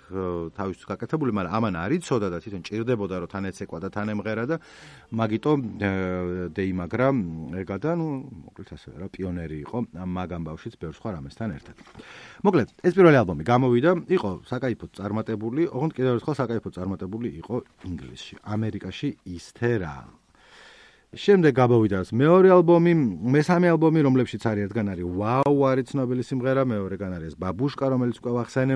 თავისთვის გაკეთებული, მაგრამ ამან არ იცოდა და თვითონ ჭირდებოდა რომ თან ეცეკვა და თან ემღერა და მაგიტო დეიმაგრა ეგა და ნუ მოკლედ ასე რა პიონერი იყო ამ მაგ ამბავშიც ბევრ სხვა რამესთან ერთად. მოკლედ ეს პირველი ალბომი გამოვიდა, იყო საკაიფოდ წარმატებული, ოღონდ კიდევ ერთხელ საკაიფოდ წარმატებული იყო ინგლისში, ამერიკაში ისთე რა. შემდეგ გამოვიდა მეორე ალბომი, მესამე ალბომი, რომლებშიც არის ერთგან არის ვაუ, არის ცნობილი სიმღერა, მეორეგან არის ბაბუშკა, რომელიც უკვე ვახსენე.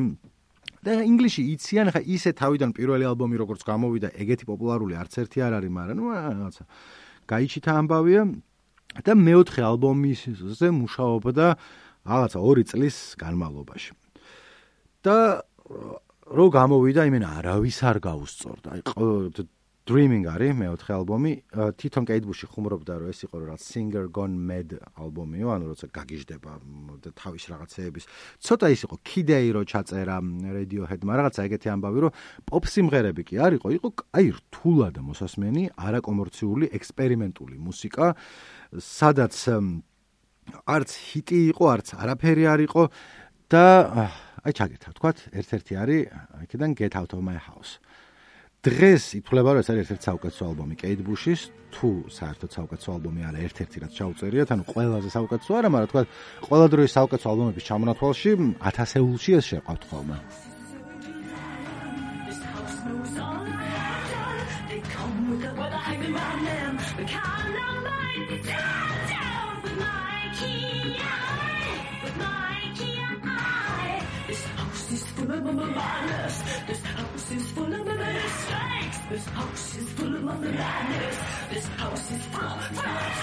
და ინგლისში იციან, ხა ისე თავიდან პირველი ალბომი როგორც გამოვიდა, ეგეთი პოპულარული არც ერთი არ არის, მაგრამ ნუ რაღაცა გაიჩითა ამბავია და მეოთხე ალბომზე მუშაობდა რაღაცა 2 წლის განმავლობაში. და რო გამოვიდა, იმენა არავის არ გაუსწორდა. აი Dreaming არის მეოთხე ალბომი, თვითონ კეით ბუში ხუმრობდა რომ ეს იყო რაღაც Singer Gone Mad ალბომიო, ანუ როცა გაგიჟდება და თავის რაღაცეების. ცოტა ის იყო Kid-A რო ჩაწერა Radiohead-მა, რაღაცა ეგეთი ამბავი რომ პოპ სიმღერები კი არ იყო, იყო აი რთულად მოსასმენი, არაკომერციული, ექსპერიმენტული მუსიკა, სადაც არც ჰიტი იყო, არც არაფერი არ იყო და აი ჩაგეთა ვთქვათ, ერთ-ერთი არის აქედან Get Out of My House. დღეს ითვლება რომ ეს არის ერთ-ერთი საუკეთესო ალბომი კეით ბუშის, თუ საერთოდ საუკეთესო ალბომი არა, ერთ-ერთი რაც ჩაუწერიათ, ანუ ყველაზე საუკეთესო არა, მაგრამ თქვა ყველა დროის საუკეთესო ალბომების ჩამონათვალში 1000-ში ეს შეყვავთ ხოლმე. This house is full of madness. This house is full of madness.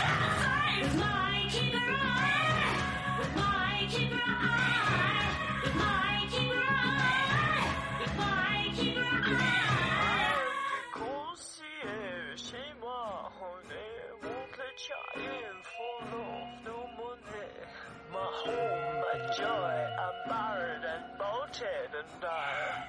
With my keeper eye, with my keeper eye, with my keeper eye, with my keeper eye. Concierge, chez moi, on est mon chien full of no money. My home, my joy, I'm married and bolted and died.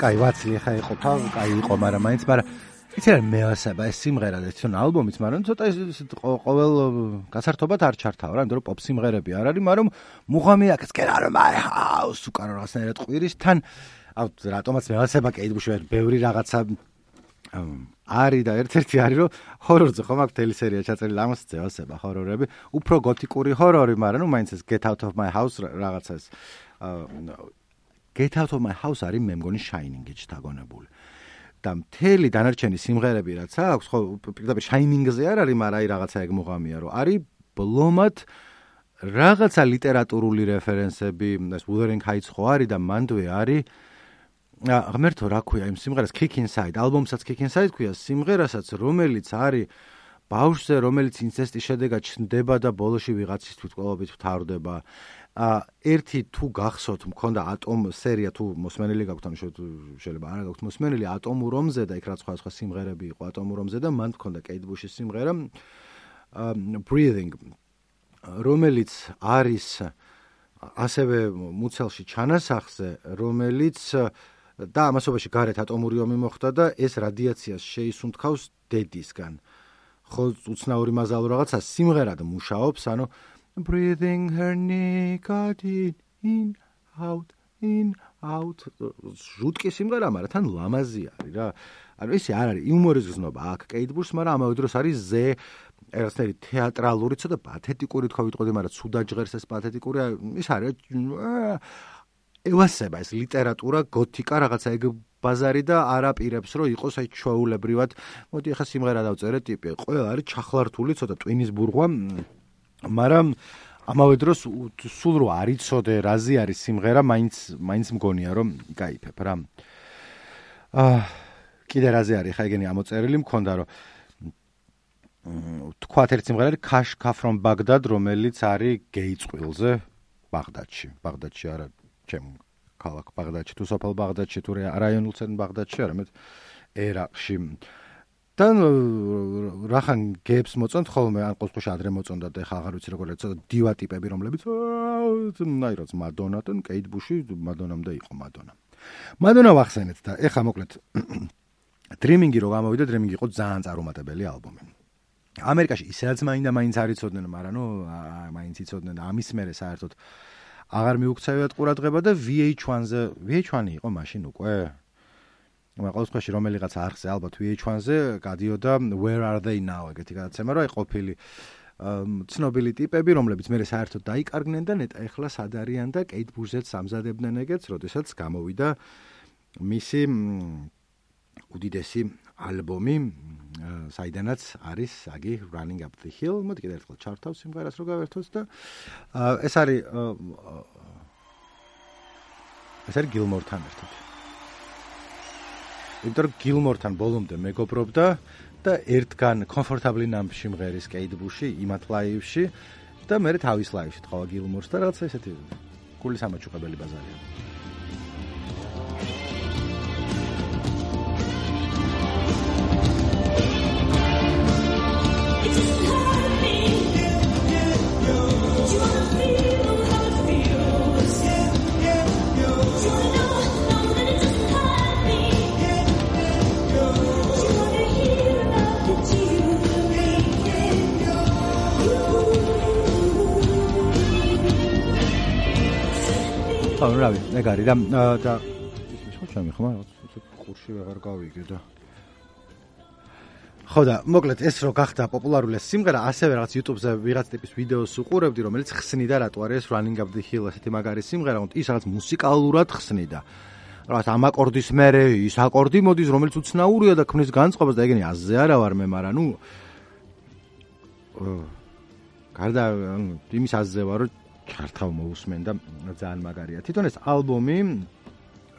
კაი ვაცლი ხა იყო თავ, კაი იყო, მაგრამ მაინც, მაგრამ იცი რა მეასება ეს სიმღერა და ეს ალბომიც, მაგრამ ცოტა ის ყოველ გასართობად არ ჩართავ რა, იმიტომ რომ პოპ სიმღერები არ არის, მაგრამ მუღამი აქ get out of my house უკან რაღაცნაირად ყვირის თან რატომაც მეასება კეით ბუში ბევრი რაღაცა არის და ერთ-ერთი არის რომ ჰორორზე ხომ აქ მთელი სერია ჩაწერილი ამას წევასება ჰორორები, უფრო გოთიკური ჰორორი, მაგრამ ნუ მაინც ეს get out of my house რაღაცა ეს get out of my house არის მე მგონი Shining-ში შთაგონებული. და მთელი დანარჩენი სიმღერები რაც აქვს, ხო, პირდაპირ Shining-ზე არ არის, მაგრამ აი რაღაცა ეგ მუღამია, რომ არის ბლომად რაღაცა ლიტერატურული რეფერენსები, ეს Wuthering Heights ხო არის და მანდვე არის ღმერთო რა ქვია იმ სიმღერას Kick Inside, ალბომსაც Kick Inside ქვია, სიმღერასაც რომელიც არის ბავშვზე, რომელიც ინცესტის შედეგად ჩნდება და ბოლოში ვიღაცის თვითმკვლელობით მთავრდება. ერთი თუ გახსოვთ, მქონდა ატომ სერია თუ მოსმენილი გაქვთ, ანუ შეიძლება არა გაქვთ მოსმენილი ატომურ ომზე და იქ რა სხვა სიმღერები იყო ატომურ ომზე და მან მქონდა კეით ბუშის სიმღერა Breathing, რომელიც არის ასევე მუცელში ჩანასახზე, რომელიც და ამასობაში გარეთ ატომური ომი მოხდა და ეს რადიაციას შეისუნთქავს დედისგან. ხო, უცნაური მაზალო რაღაცა სიმღერად მუშაობს, ანუ breathing her nicotine in out ჟუტკი სიმღერა, მაგრამ თან ლამაზი არის რა. ანუ ესე არ არის იუმორის გზნობა აქ კეით ბუშს, მაგრამ ამავე დროს არის ზე რაღაცნაირი თეატრალური, ცოტა პათეტიკური თქვა ვიტყოდი, მაგრამ ცუდად ჟღერს ეს პათეტიკური, ის არის ევასება ეს ლიტერატურა, გოთიკა რაღაცა ეგ ბაზარი და არ აპირებს რომ იყოს აი ჩვეულებრივად. მოდი ახლა სიმღერა დავწერე ტიპი. ყველა არის ჩახლართული, ცოტა ტვინის ბურღვა, მაგრამ ამავე დროს სულ რო არ იცოდე რაზე არის სიმღერა, მაინც მგონია რომ იკაიფებ რა. კიდე რაზე არის, ხა ეგენი ამოწერილი მქონდა რომ თქვათ ერთ სიმღერა არის Kashka from Baghdad, რომელიც არის გეი წყვილზე ბაღდადში არა ჩემ ქალაქ ბაღდადში თუ სოფელ ბაღდადში თუ რაიონულ ცენტრ ბაღდადში, არამედ ერაყში. და რახან გეებს მოწონთ ხოლმე, ან ყოველთვის ადრე მოწონდა და ეხლა აღარ ვიცი როგორ ეცოდა დივა ტიპები, რომლებიც ნაირად მადონა და კეით ბუში მადონამდე იყო მადონა ვახსენეთ და ეხლა მოკლედ Dreaming-ი რო გამოვიდა, Dreaming იყო ძალიან წარუმატებელი ალბომი. ამერიკაში ისაც მაინც არ იცოდნენ, მაგრამ ნუ მაინც იცოდნენ და ამის მერე საერთოდ აღარ მიუქცევიათ ყურადღება და VH1 იყო მაშინ უკვე. ყოველთვის რომელიღაც არხზე ალბათ VH1-ზე გადიოდა Where Are They Now ეგეთი გადაცემა, რომ აი ყოფილი ცნობილი ტიპები, რომლებიც მერე საერთოდ დაიკარგნენ და ნეტა ეხლა სად არიან და კეით ბუშზეც ამზადებდნენ ეგეთს, როდესაც გამოვიდა მისი უდიდესი ალბომი, საიდანაც არის აგი Running Up the Hill. მოდი კიდევ ერთხელ ჩართავ სიმღერას რო გავერთოთ და ეს არის Gilmore-თან ერთად. იმიტომ რომ Gilmore-თან ბოლომდე მეგობრობდა და ერთგან Comfortably Numb-ში მღერის კეით ბუში, იმათ ლაივში და მე თავის ლაივში თხოვა Gilmore-ს და რაღაცა ესეთი გულის ამაჩუყებელი ბაზარია. რავი, ეგ არის და ხო შემიხმა, ყურში ვეღარ გავიგე და ხო და მოკლედ ეს რო გახდა პოპულარული სიმღერა, ასევე რაღაც YouTube-ზე ვიღაც ტიპის ვიდეოს უყურებდი, რომელიც ხსნიდა რატო არის Running Up the Hill ასეთი მაგარი სიმღერა, ის რაღაც მუსიკალურად ხსნიდა. რაღაც ამ აკორდის მერე ის აკორდი მოდის, რომელიც უცნაურია და ქმნის განწყობას და ეგენი აზზე არა ვარ მე, მაგრამ ნუ გარდა იმის აზზე ვარ, რომ ჩართავ მოусმენ და ძალიან მაგარია. თვითონ ეს ალბომი,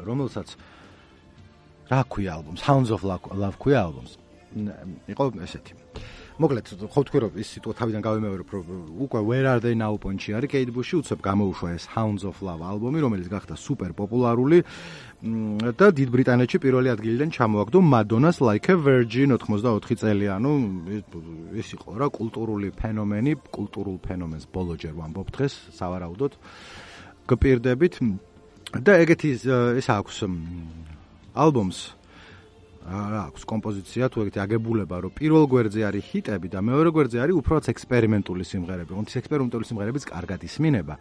რომელსაც რა ქვია ალბომს, Hounds of Love ქვია ალბომს. იყო ესეთი. მოკლედ, ხო თქვი რომ ის სიტყვა თავიდან გავიმეორებ, რომ უკვე Where Are They Now პონჩი არის კეით ბუში, უცებ გამოუშვა ეს Hounds of Love ალბომი, რომელიც გახდა სუპერ პოპულარული და დიდ ბრიტანეთში პირველი ადგილიდან ჩამოაგდო Madonna's Like a Virgin 84 წელი, ანუ ეს იყო რა კულტურული ფენომენი, კულტურულ ფენომენს ბოლო ჯერ ვამბობ დღეს, სავარაუდოდ გპირდებით და ეგეთი ეს აქვს ალბომს აქვს კომპოზიცია თუ ეგეთი აგებულება, რომ პირველ გვერდზე არის ჰიტები და მეორე გვერდზე არის უბრალოდ ექსპერიმენტული სიმღერები. ეს ექსპერიმენტული სიმღერებიც კარგად ისმინება.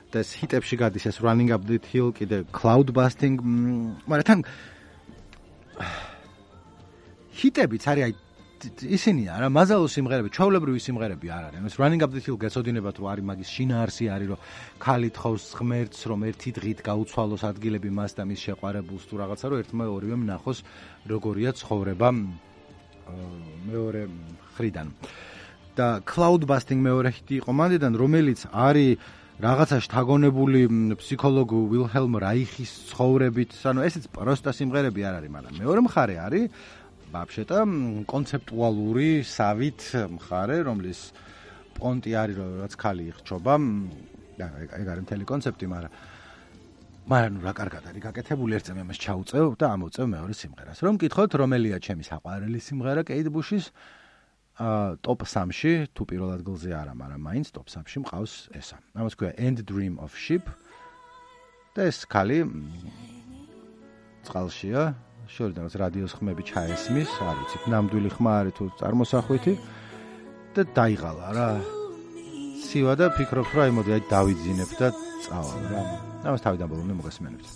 და ეს ჰიტებში გადის ეს Running Up That Hill, კიდე Cloud Busting, მაგრამ თან ჰიტებიც არის აი ისინი არა, მაზალო სიმღერები, ჩვეულებრივი სიმღერები არ არის. ეს Running Up That Hill გეცოდინებათ, რომ არის მაგის შინაარსი არის, რომ ქალი თხოვს ღმერთს, რომ ერთი დღით გაუცვალოს ადგილები მას და მის შეყვარებულს თუ რაღაცა, რომ ერთმა ორივემ ნახოს როგორია ცხოვრება მეორე ხრიდან. და Cloud Busting მეორე ჰიტი იყო მანდიდან, რომელიც არის რაღაცა შთაგონებული ფსიქოლოგ ვილჰელმ რაიხის ცხოვრებით, ანუ ესეც პროსტა სიმღერები არ არის, მაგრამ მეორე მხარე არის ბაბშეტა კონცეპტუალური სავით მხარე, რომლის პონტი არის, რომ რაც ქალი იხჩობა, ეგ არის მთელი კონცეპტი, მაგრამ რა კარგად არის გაკეთებული, ერთ წამს ამას ჩაუწევ და ამოვწევ მეორე სიმღერას. რომ მკითხოთ, რომელია ჩემი საყვარელი სიმღერა კეით ბუშის top 3-ში, თუ პირველ ადგილზე არა, მაგრამ მაინც top 3-ში მყავს ესა. ამას ქვია And Dream of Sheep და ეს ქალი წყალშია, შორიდან რადიოს ხმები ჩაესმის, არ ვიცი, ნამდვილი ხმა არის თუ წარმოსახვითი და დაიღალა რა. სივა და ფიქრობს, რომ აი მოდი აი დავიძინებ და წავალ რა. ამას თავიდან ბოლომდე მოგესმენებთ.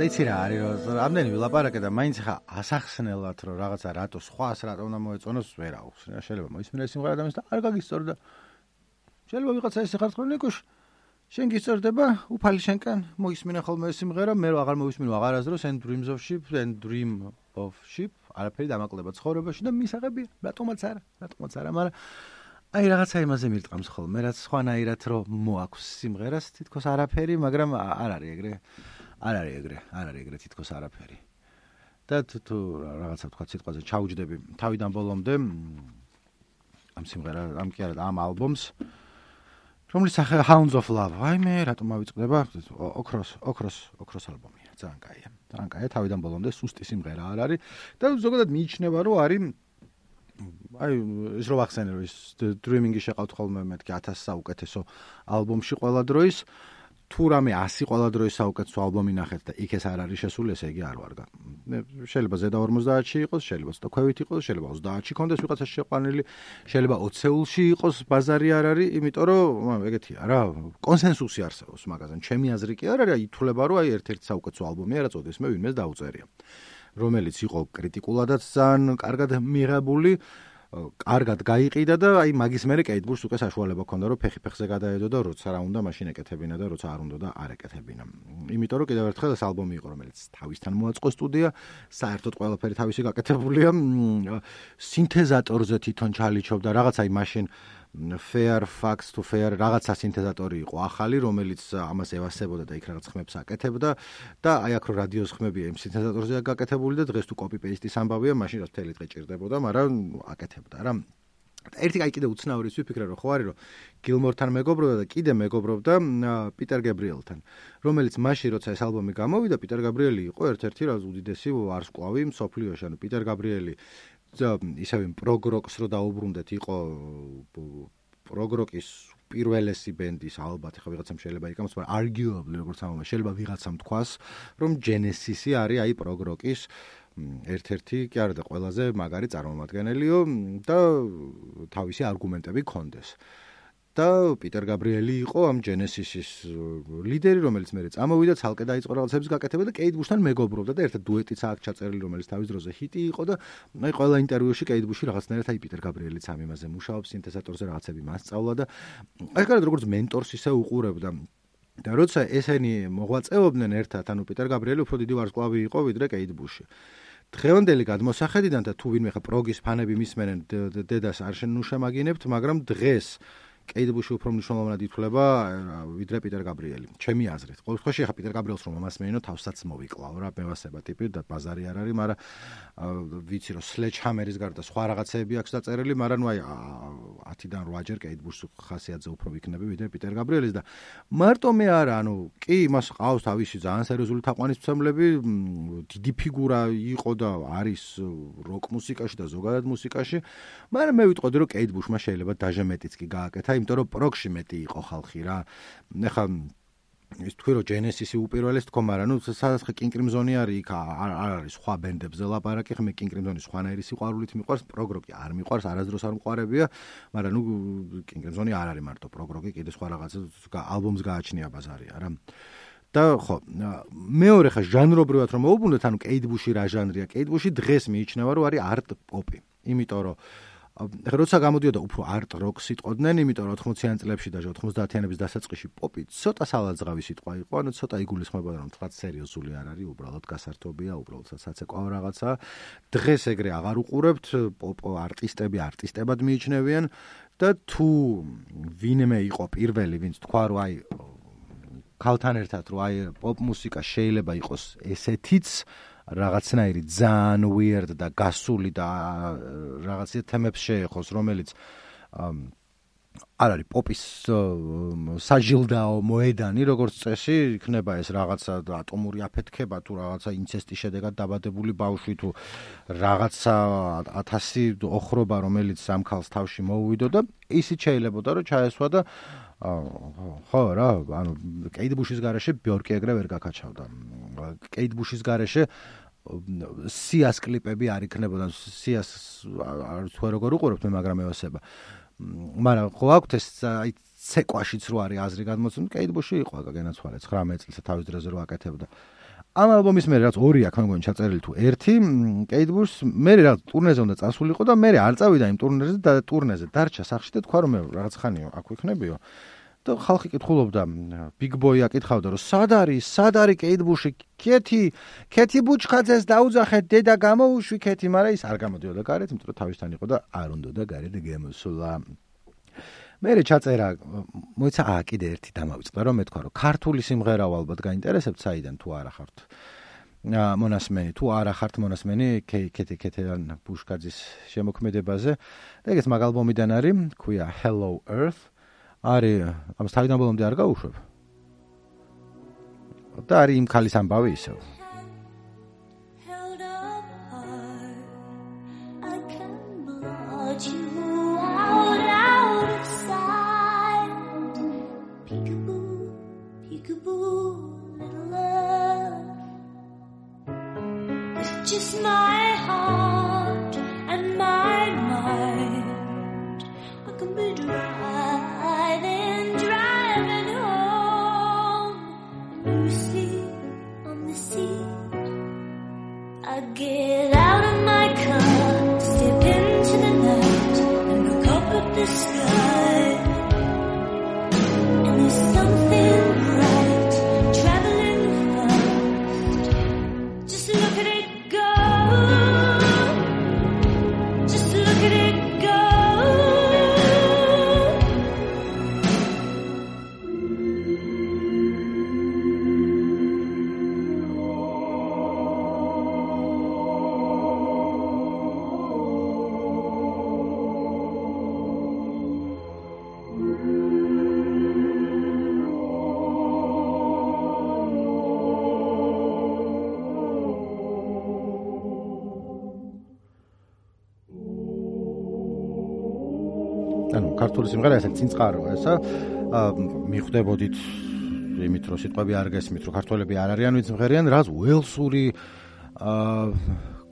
იცი რა არის, რომ ამდენი ვილაპარაკე და მაინც ხა ასახსნელად, რომ რაღაცა რატო სხვას რატო უნდა მოეწონოს, ვერ აქვს. შეიძლება მოისმინე სიმღერა და მის და არ გაგისწორდა. შეიძლება ვიღაცა ესე ხარ თქვენ ნიკუშ, შენ გისწორდება, უფალი შენკან, მოისმინე ხოლმე ეს სიმღერა, მე რო აღარ მოვისმინო აღარასდროს And Dreams of Sheep, And Dream of Sheep, არაფერი დამაკლდება ცხოვრებაში და მისაღებია, რატომაც არა, მაგრამ აი რაღაცა იმაზე მირტყამს ხოლმე, რაც სხვანაირად რომ მოაქვს სიმღერას, თითქოს არაფერი, მაგრამ არ არის ეგრე. არ არის ეგრე თითქოს არაფერი. და თუ რაღაცა თქვა სიტყვაზე ჩაუჯდები თავიდან ბოლომდე ამ სიმღერას, ამ ალბომს, რომლის სახე Hounds of Love. აი მე რატომ ავიწყდება? ოქროს ალბომია. ძალიან კაია, თავიდან ბოლომდე სუსტი სიმღერა არ არის და ზოგადად მიიჩნევა, რომ არის აი ის რო ვახსენე, რომ ის Dreaming-ი შეყავთ ხოლმე მეთქი 1000 საუკეთესო ალბომში ყველა დროის. თუ რამე 100 ყველა დროის საუკეთესო ალბომი ნახეთ და იქ ეს არ არის შესული, ესე იგი არ ვარგა. შეიძლება ზედა 50-ში იყოს, შეიძლება ცოტა ქვევით იყოს, შეიძლება 30-ში კონდეს ვიღაცას შეყვანილი, შეიძლება 20-ში იყოს, ბაზარი არ არის, იმიტომ რომ ეგეთია რა, კონსენსუსი არსებობს მაგაზე. ჩემი აზრი კი არ არის, ითვლება რომ აი ერთ-ერთი საუკეთესო ალბომია, რაც ოდესმე ვინმეს დაუწერია. რომელიც იყო კრიტიკულადაც ძალიან კარგად მიღებული, კარგად გაიყიდა და აი მაგის მერე კეით ბუშს უკვე საშუალება ჰქონდა რომ ფეხზე გადაედო და როცა რა უნდა მაშინ ეკეთებინა და როცა არ უნდა და არ ეკეთებინა. იმიტომ რომ კიდევ ერთხელ ეს ალბომი იყო რომელიც თავისთან მოაწყო სტუდია, საერთოდ ყველაფერი თავისი გაკეთებულია, სინთეზატორზე თვითონ ჩალიჩობდა რაღაც აი მაშინ Fairfax to Fair რაღაცა სინთეზატორი იყო ახალი, რომელიც ამას ევასებოდა და იქ რაღაც ხმებს აკეთებდა და აი აქ რო რადიოს ხმებია იმ სინთეზატორზეა გაკეთებული და დღეს თუ copy-paste-ის ამბავია, მაშინ რაც მთელი დღე ჭირდებოდა, მაგრამ აკეთებდა რა. ერთი აი კიდე უცნაური ვიფიქრე რომ ხო არის რომ გილმორთან მეგობრობდა და კიდე მეგობრობდა პიტერ გაბრიელთან, რომელიც მაშინ როცა ეს ალბომი გამოვიდა, პიტერ გაბრიელი იყო ერთ-ერთი რა უდიდესი ვარსკვლავი მსოფლიოში, ანუ პიტერ გაბრიელი ისევ პროგროკს რო დაუბრუნდეთ, იყო პროგროკის პირველესი ბენდის ალბათ, ხა ვიღაცამ შეიძლება იკამოს, მაგრამ arguably როგორც ამბობენ, შეიძლება ვიღაცამ თქვას, რომ Genesis-ი არის აი პროგროკის ერთ-ერთი კი არა და ყველაზე მაგარი წარმომადგენელიო და თავისი არგუმენტები ქონდეს. და პიტერ გაბრიელი იყო ამ Genesis-ის ლიდერი, რომელიც მერე წამოვიდა, ცალკე დაიწყო რაღაცების გაკეთება და კეით ბუშთან მეგობრობდა და ერთად დუეტიც აქ ჩაწერილი, რომელიც თავის დროზე ჰიტი იყო და აი ყველა ინტერვიუში კეით ბუში რაღაცნაირად აი პიტერ გაბრიელიც ამ იმაზე მუშაობს, სინთეზატორზე რაღაცები მასწავლა და აი კარგად როგორც მენტორს ისე უყურებდა. და როცა ესენი მოღვაწეობდნენ ერთად, ანუ პიტერ გაბრიელი უფრო დიდი ვარსკვლავი იყო ვიდრე კეით ბუში. დღევანდელი გადმოსახედიდან და თუ ვინმე ხა პროგის ფანები მისმენენ, დედას არ შენუშამაგინებთ, მაგრამ დღეს კეით ბუში უფრო მნიშვნელოვნად ითვლება ვიდრე პიტერ გაბრიელი. ჩემი აზრით. ყოველ შემთხვევაში ხა პიტერ გაბრიელს რომ მომასმენინო, თავსაც მოვიკლავ რა, მევასება ტიპი და ბაზარი არ არის, მაგრამ ვიცი რომ Sledgehammer-ის გარდა სხვა რაღაცეები აქვს დაწერილი, მაგრამ ნუ აი 10-დან 8-ჯერ კეით ბუშს ხასიათზე უფრო ვიქნები ვიდრე პიტერ გაბრიელის და მარტო მე არა, ანუ კი იმას ყავს თავისი ძალიან სერიოზული თაყვანისმცემლები, დიდი ფიგურა იყო და არის როკ მუსიკაში და ზოგადად მუსიკაში, მაგრამ მე ვიტყოდი რომ კეით ბუშმა შეიძლება დაჟე მეტიც კი გააკეთა, იმიტომ რომ პროგში მეტი იყო ხალხი რა. ეხლა ის თქვი რომ Genesis-ი უპირველეს თქო, მაგრამ ნუ სადაც ხე King Crimson-ი არის, იქ არ არის სხვა ბენდებზე ლაპარაკი, ხე მე King Crimson-ის სხვანაირი სიყვარულით მიყვარს, პროგროკი არ მიყვარს, არასდროს არ მყარებია, მაგრამ ნუ King Crimson-ი არ არის მარტო პროგროკი, კიდე სხვა რაღაცა ალბომს გააჩნია ბაზარია რა. და ხო, მეორე ხა ჟანრობრივად რომ მოუბრუნდეთ, ანუ კეით ბუში რა ჟანრია? კეით ბუში დღეს მიიჩნევა რომ არის არტ პოპი. იმიტომ რომ როცა გამოდიოდა უფრო არტ როკს იტყოდნენ, იმიტომ რომ 80-იან წლებში და 90-იანების დასაწყისში პოპი ცოტა სალაძღავი სიტყვა იყო, ანუ ცოტა იგულისხმებოდა რომ თქვა სერიოზული არ არის, უბრალოდ გასართობია, უბრალოდ საცეკვაო რაღაცა. დღეს ეგრე აღარ უყურებთ, პოპ არტისტები არტისტებად მიიჩნევიან და თუ ვინმე იყო პირველი, ვინც თქვა რომ აი ქალთან ერთად რომ აი პოპ მუსიკა შეიძლება იყოს ესეთიც რაღაცნაირი ძალიან weird და გასული და რაღაცა თემებს შეეხოს, რომელიც არ არის პოპის საჟილდაო მოედანი, როგორც წესი, იქნება ეს რაღაცა ატომური აფეთქება თუ რაღაცა ინცესტის შედეგად დაბადებული ბავშვი თუ რაღაცა 1000 ოხრობა, რომელიც ამ ქალს თავში მოუვიდო და ისიც შეიძლებოდა რომ ჩაესვა და ხო რა, ანუ კეით ბუშის გარეშე ბიორკი ეგრე ვერ გაკაჩავდა. კეით ბუშის გარეშე სიას კლიპები არ იქნებოდა, სიას არ თუ როგორ უყურებთ მე, მაგრამ ევასება. მაგრამ ხო აქვთ ეს აი ცეკვაშიც რო არის აზრი გადმოცემული, კეით ბუში იყო გენაცვალე 19 წელს თავის დროზე რო აკეთებდა. ამ ალბომის მერე რაც ორი აქვს, მე მგონი ჩაწერილი თუ ერთი, კეით ბუშს მერე რაღაც ტურნეზე უნდა წასულიყო და მერე არ წავიდა იმ ტურნეზე და ტურნეზე დარჩა სახლში და თქვა რომ მე რაღაც ხანიო აქ ვიქნებიო. და ხალხი კითხულობდა, Big Boy აკითხავდა რომ სად არის კეით ბუში? ქეთი ბუჩხაძეს დაუძახეთ, დედა გამოუშვი ქეთი, მაგრამ ის არ გამოდიოდა გარეთ, იმიტომ რომ თავისთან იყო და არ უნდოდა გარეთ გამოსულა. მერე ჩაწერა, მოიცა კიდე ერთი დამავიწყდა, რომ მეთქვა რომ ქართული სიმღერა ალბათ გაინტერესებთ, საიდან თუ არა ხართ მონასმენი, თუ არა ხართ მონასმენი ქეთიდან ბუშკაძის შემოქმედებაზე. და ეგეც მაგ ალბომიდან არის, ქვია Hello Earth. არის ამას თავიდან ბოლომდე არ გაუშვებ. და არის იმ ქალის ამბავი ისევ. peekaboo little love. It's just my heart and my mind. I can be driving home. And you sleep on the seat. I get out of my car, step into the night, and look up at the sky. And there's something bright traveling fast. Just look at it go. Just look at it go. ანუ ქართული სიმღერა ესე წინწყაროა ესა მიხვდებოდით იმით რომ სიტყვები არ გესმით რომ ქართველები არ არიან ვინც მღერიან რაც უელსური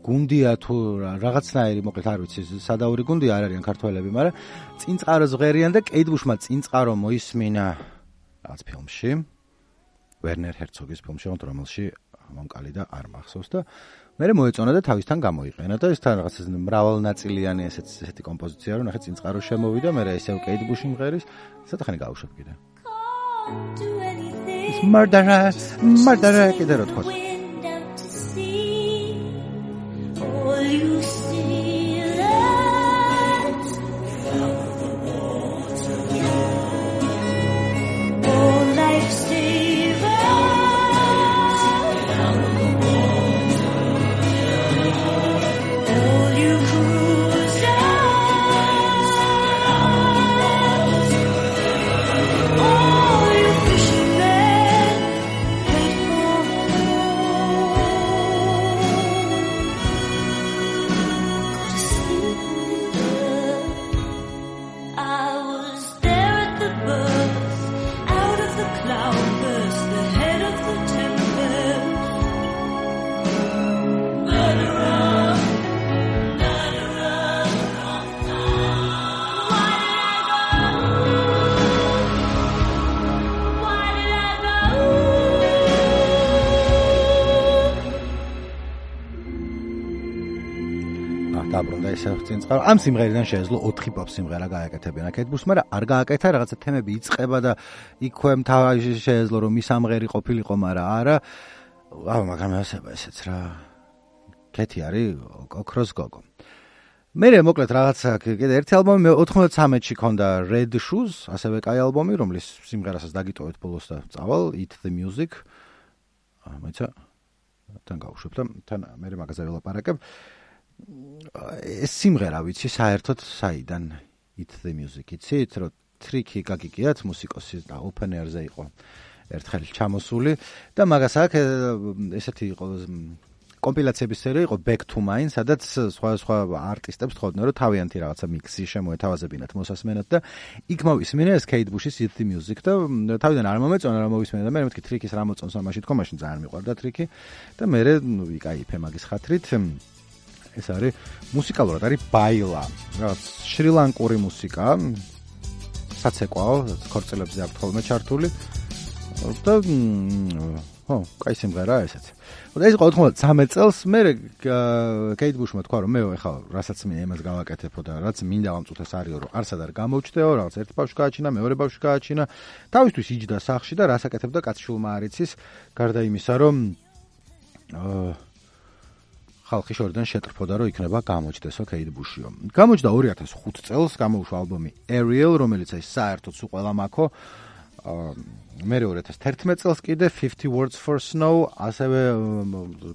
გუნდია თუ რაღაცნაირი მოკლედ არ ვიცი სადაური გუნდი არ არიან ქართველები მაგრამ წინწყაროს მღერიან და კეით ბუშმა წინწყარო მოისმინა რაღაც ფილმში ვერნერ ჰერცოგის ფილმში რომელში მომკალი და არ მახსოვს და მე მოეწონა და თავისთან გამოიყენა და ეს თან რაღაც მრავალნაწილიანი ესეთი კომპოზიცია რომ ნახე წინწყარო შემოვიდა მე ესევ კეით ბუში მღერის სათხანი გავუშვებ კიდე მარდარა კიდე რო თქოს დაბრუნდა ისე წინწყარო. ამ სიმღერიდან შეეძლო 4 პოპ სიმღერა გააკეთებინა კეით ბუშს, მაგრამ არ გააკეთა, რაღაცა თემები იწყება და იქვე მთავარი შეეძლო რომ ის ამღერი ყოფილიყო, მაგრამ არა. მაგრამ ესეც რა. კეთი არის ოქროს გოგო. მე მოკლედ რაღაცა კიდე ერთი ალბომი 93-ში ქონდა Red Shoes, ასევე კაი ალბომი, რომლის სიმღერასაც დაგიტოვეთ ბოლოს და წავალ Eat the Music. მეცა თან გავუშვებ და თან მე მაგაზე ველაპარაკებ. ეს სიმღერა ვიცი საერთოდ საიდან Eat the Music იცით რომ ტრიკი გაგიგიათ მუსიკოსი და open air-ზე იყო ერთხელ ჩამოსული და მაგას აქ ესეთი იყო კომპილაციების სერია იყო Back to Mine, სადაც სხვა არტისტებს თხოვდნენ რომ თავიანთი რაღაცა მიქსი შემოეთავაზებინათ მოსასმენად და იქ მოვისმინე ეს Kate Bush-ის Eat the Music და თავიდან არ მომეწონა რა მოვისმინე და მე მეთქი ტრიკის რა მოწონს ამაში თქო მაშინ ძალიან მიყვარდა ტრიკი და მე ვიკაიფე მაგის ხათრით ეს არის მუსიკალურად არის ბაილა რაღაც შრი-ლანკური მუსიკა საცეკვაო ქორწილებზე აქვს ხოლმე ჩართული და კაი სიმღერაა ესეც. და ეს იყო 93 წელს მე კეით ბუშმა თქვა რომ მე ეხლა რასაც მინდა იმას გავაკეთებო და რაც მინდა ამწუთეს არისო რომ არსად არ გამოვჩდეო რაღაც ერთ ბავშვი გააჩინა მეორე ბავშვი გააჩინა თავისთვის იჯდა სახში და რას აკეთებდა კაცშულმა არ იცის გარდა იმისა რომ ხალხი შორიდან შეტრფოდა რომ იქნება გამოჩდესო კეით ბუშიო. გამოჩდა 2005 წელს გამოუშვა ალბომი Ariel რომელიც აი საერთოდ სულ ყველა მაქო მე 2011 წელს კიდე 50 Words for Snow ასევე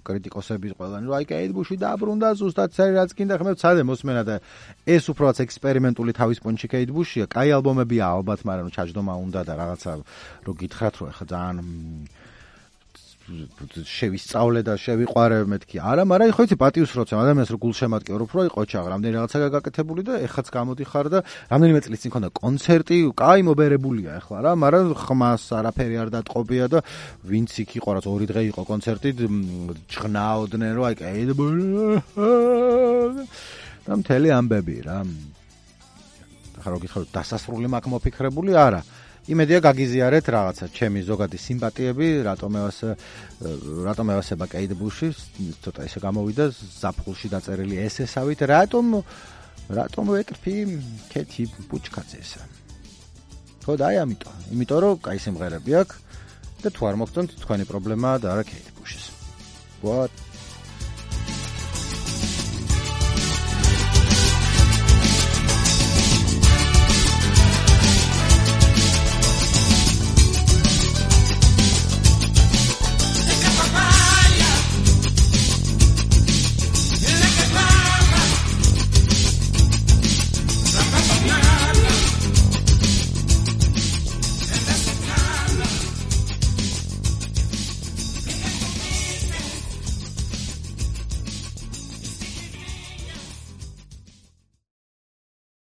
კრიტიკოსების ყველანი რომ აი კეით ბუში დაბრუნდა ზუსტად რაც კიდე ხმებ ცადე მოსმენა და ეს უბრალოდ ექსპერიმენტული თავის პონჩი კეით ბუშია კაი ალბომებია ალბათ მაგრამ ჩაჯდომა უნდა და რაღაცა რომ გითხრათ რომ ხა ძალიან შევისწავლე და შევიყვარე მეთქი. არა, მაგრამ ხო იცი პატიოს როცა ადამიანს რო გულშემატკივრობ, რო იყო ჩაღ, რამდენი რაღაცა გაკეთებული და ეხაც გამოდიხარ და რამდენიმე წლის წინ ქონდა კონცერტი, კაი მობერებულია ახლა რა, მაგრამ ხმას არაფერი არ დატყობია და ვინც იქ იყო, რაც 2 დღე იყო კონცერტი, ჭღნაოდნენ რომ აი კაი და მთელი ამბები რა. ახლა რო გითხარ დასასრული მაქვს მოფიქრებული, არა. იმედია გაგიზიარეთ რაღაცა ჩემი ზოგადი სიმპათიები, რატომ ევასება კეით ბუში, ცოტა ისე გამოვიდა ზაფხულში დაწერილი ესესავით, რატომ ვეკრფი კეთი ბუჩკაძესა. ხო და აი იმიტომ რომ კაი სიმღერები აქვს და თუ არ მოგწონთ თქვენი პრობლემაა და არა კეით ბუშის. What?